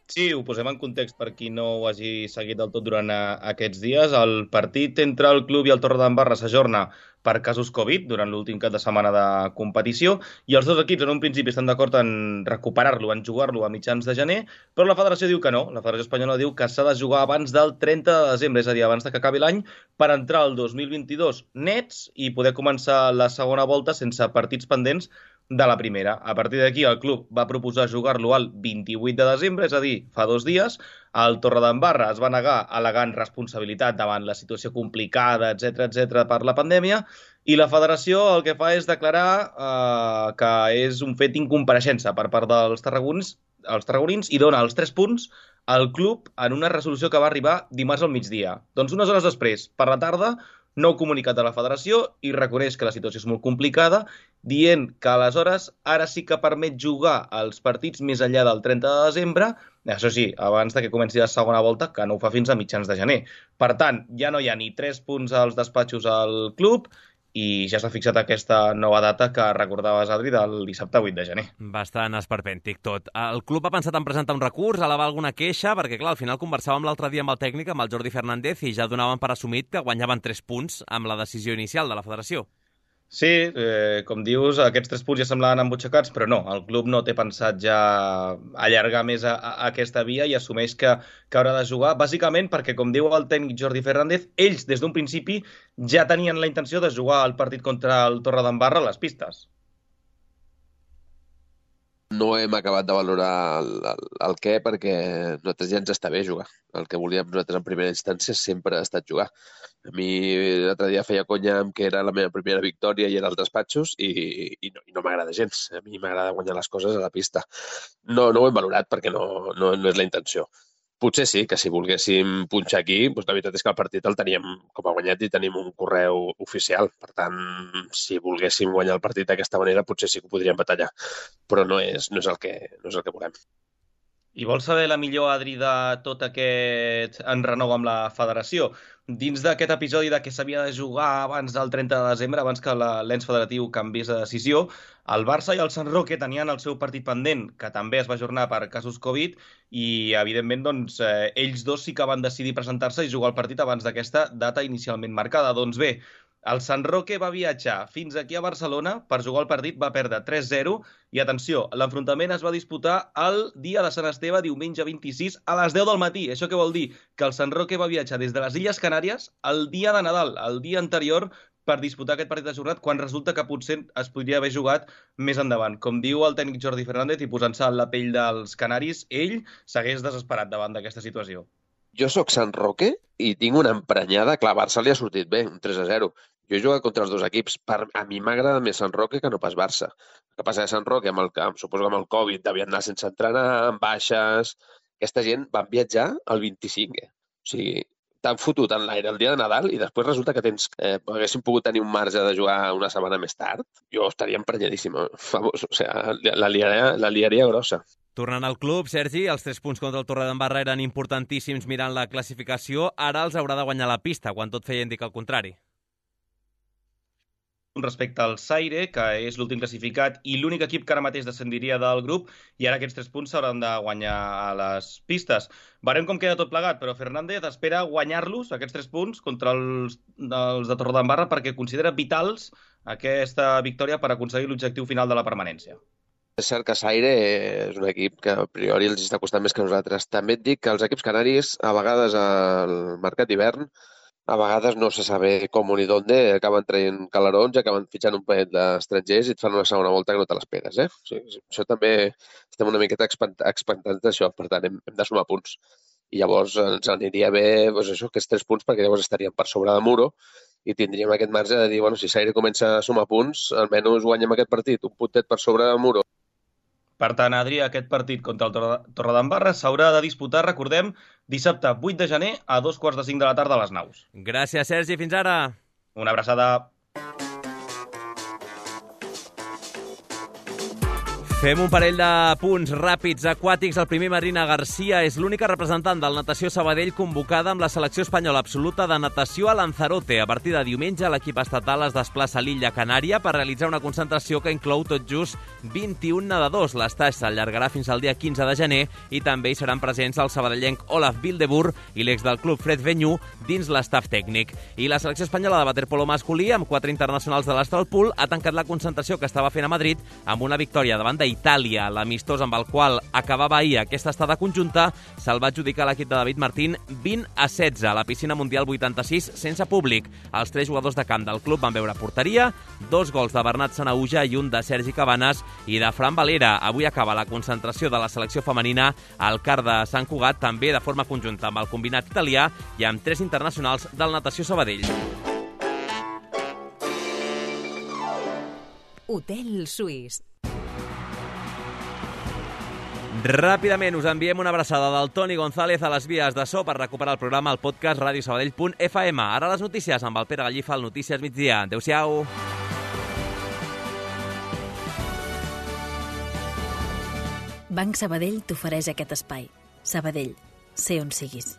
Sí, ho posem en context per qui no ho hagi seguit del tot durant aquests dies. El partit entre el club i el Torredembarra s'ajorna per casos Covid durant l'últim cap de setmana de competició i els dos equips en un principi estan d'acord en recuperar-lo, en jugar-lo a mitjans de gener, però la federació diu que no. La Federació Espanyola diu que s'ha de jugar abans del 30 de desembre, és a dir, abans que acabi l'any, per entrar al 2022 nets i poder començar la segona volta sense partits pendents de la primera. A partir d'aquí, el club va proposar jugar-lo al 28 de desembre, és a dir, fa 2 dies. El Torredembarra es va negar al·legant responsabilitat davant la situació complicada, etc per la pandèmia, i la federació el que fa és declarar que és un fet incompareixença per part dels tarragonins i dona els 3 punts al club en una resolució que va arribar dimarts al migdia. Doncs unes hores després, per la tarda, nou comunicat de la federació i reconeix que la situació és molt complicada, dient que aleshores ara sí que permet jugar els partits més enllà del 30 de desembre, això sí, abans que comenci la segona volta, que no ho fa fins a mitjans de gener. Per tant, ja no hi ha ni 3 punts als despatxos al club i ja s'ha fixat aquesta nova data que recordaves, Adri, del dissabte 8 de gener. Bastant esperpèntic tot. El club ha pensat en presentar un recurs, elevar alguna queixa, perquè clar, al final conversàvem l'altre dia amb el tècnic, amb el Jordi Fernández, i ja donaven per assumit que guanyaven 3 punts amb la decisió inicial de la federació. Sí, com dius, aquests 3 punts ja semblaven embutxacats, però no, el club no té pensat ja allargar més a aquesta via i assumeix que haurà de jugar, bàsicament perquè, com diu el tècnic Jordi Fernández, ells des d'un principi ja tenien la intenció de jugar el partit contra el Torredembarra a les pistes. No hem acabat de valorar el què perquè nosaltres ja ens està bé jugar. El que volíem nosaltres en primera instància sempre ha estat jugar. A mi l'altre dia feia conya amb que era la meva primera victòria i era als despatxos i no m'agrada gens. A mi m'agrada guanyar les coses a la pista. No ho hem valorat perquè no és la intenció. Potser sí, que si volguéssim punxar aquí, doncs la veritat és que el partit el teníem com a guanyat i tenim un correu oficial. Per tant, si volguéssim guanyar el partit d'aquesta manera, potser sí que ho podríem batallar. Però no és el que volem. I vols saber la millor, Adri, de tot aquest enrenou amb la federació? Dins d'aquest episodi de que s'havia de jugar abans del 30 de desembre, abans que l'ens federatiu canviés de decisió, el Barça i el Sant Roque tenien el seu partit pendent, que també es va ajornar per casos Covid, i evidentment doncs, ells dos sí que van decidir presentar-se i jugar el partit abans d'aquesta data inicialment marcada. Doncs bé, El Sant Roque va viatjar fins aquí a Barcelona per jugar el partit, va perdre 3-0 i, atenció, l'enfrontament es va disputar el dia de Sant Esteve, diumenge 26, a les 10 del matí. Això què vol dir? Que el Sant Roque va viatjar des de les Illes Canàries el dia de Nadal, el dia anterior, per disputar aquest partit ajornat, quan resulta que potser es podria haver jugat més endavant. Com diu el tècnic Jordi Fernández, i posant-se en la pell dels canaris, ell s'hagués desesperat davant d'aquesta situació. Jo sóc Sant Roque i tinc una emprenyada. Clar, Barça li ha sortit bé, un 3-0. Jo he jugat contra els dos equips. A mi m'agrada més Sant Roque que no pas Barça. El que passa és que Sant Roque, suposo que amb el Covid, devien anar sense entrenar, amb baixes. Aquesta gent van viatjar el 25. O sigui, t'han fotut en l'aire el dia de Nadal i després resulta que haguéssim pogut tenir un marge de jugar una setmana més tard. Jo estaria emprenyadíssim. O sigui, la liaria grossa. Tornant al club, Sergi, els 3 punts contra el Torredembarra eren importantíssims mirant la classificació. Ara els haurà de guanyar la pista, quan tot feia indicar el contrari. Respecte al Zaire, que és l'últim classificat i l'únic equip que ara mateix descendiria del grup, i ara aquests 3 punts s'hauran de guanyar a les pistes. Veurem com queda tot plegat, però Fernández espera guanyar-los, aquests 3 punts, contra els de Torredembarra, perquè considera vitals aquesta victòria per aconseguir l'objectiu final de la permanència. És cert que Zaire és un equip que a priori els està costant més que nosaltres. També et dic que els equips canaris, a vegades al mercat d'hivern, a vegades no se sabe com ni d'on, acaben traient calarons i acaben fitxant un parell d'estrangers i et fan una segona volta que no te l'esperes. O sigui, això també estem una miqueta expectants d'això, per tant hem de sumar punts. I llavors ens aniria bé aquests 3 punts perquè llavors estaríem per sobre de Muro i tindríem aquest marge de dir, si Zaire comença a sumar punts, almenys guanyem aquest partit, un puntet per sobre de Muro. Per tant, Adri, aquest partit contra el Torredembarra s'haurà de disputar, recordem, dissabte 8 de gener a 2:45 de la tarda a les Naus. Gràcies, Sergi. Fins ara. Una abraçada. Fem un parell de punts ràpids aquàtics. El primer, Marina Garcia, és l'única representant del Natació Sabadell convocada amb la selecció espanyola absoluta de natació a Lanzarote. A partir de diumenge, l'equip estatal es desplaça a l'illa Canària per realitzar una concentració que inclou tot just 21 nedadors. L'estatge s'allargarà fins al dia 15 de gener i també hi seran presents el sabadellenc Olaf Bildebur i l'ex del club Fred Venyú dins l'estaf tècnic. I la selecció espanyola de waterpolo masculí, amb 4 internacionals de l'Astralpool, ha tancat la concentració que estava fent a Madrid amb una victòria davant d'Itàlia. L'amistós amb el qual acabava ahir aquesta estada conjunta se'l va adjudicar l'equip de David Martín 20-16 a la piscina mundial 86 sense públic. Els 3 jugadors de camp del club van veure porteria, 2 gols de Bernat Sanahuja i un de Sergi Cabanes i de Fran Valera. Avui acaba la concentració de la selecció femenina al CAR de Sant Cugat, també de forma conjunta amb el combinat italià i amb 3 internacionals del Natació Sabadell. Hotel Suís. Ràpidament us enviem una abraçada del Toni González a les vies de so per recuperar el programa al podcast radiosabadell.fm. Ara les notícies amb el Pere Gallifa al Notícies Migdia. Adéu-siau. Banc Sabadell t'ofereix aquest espai. Sabadell, sé on siguis.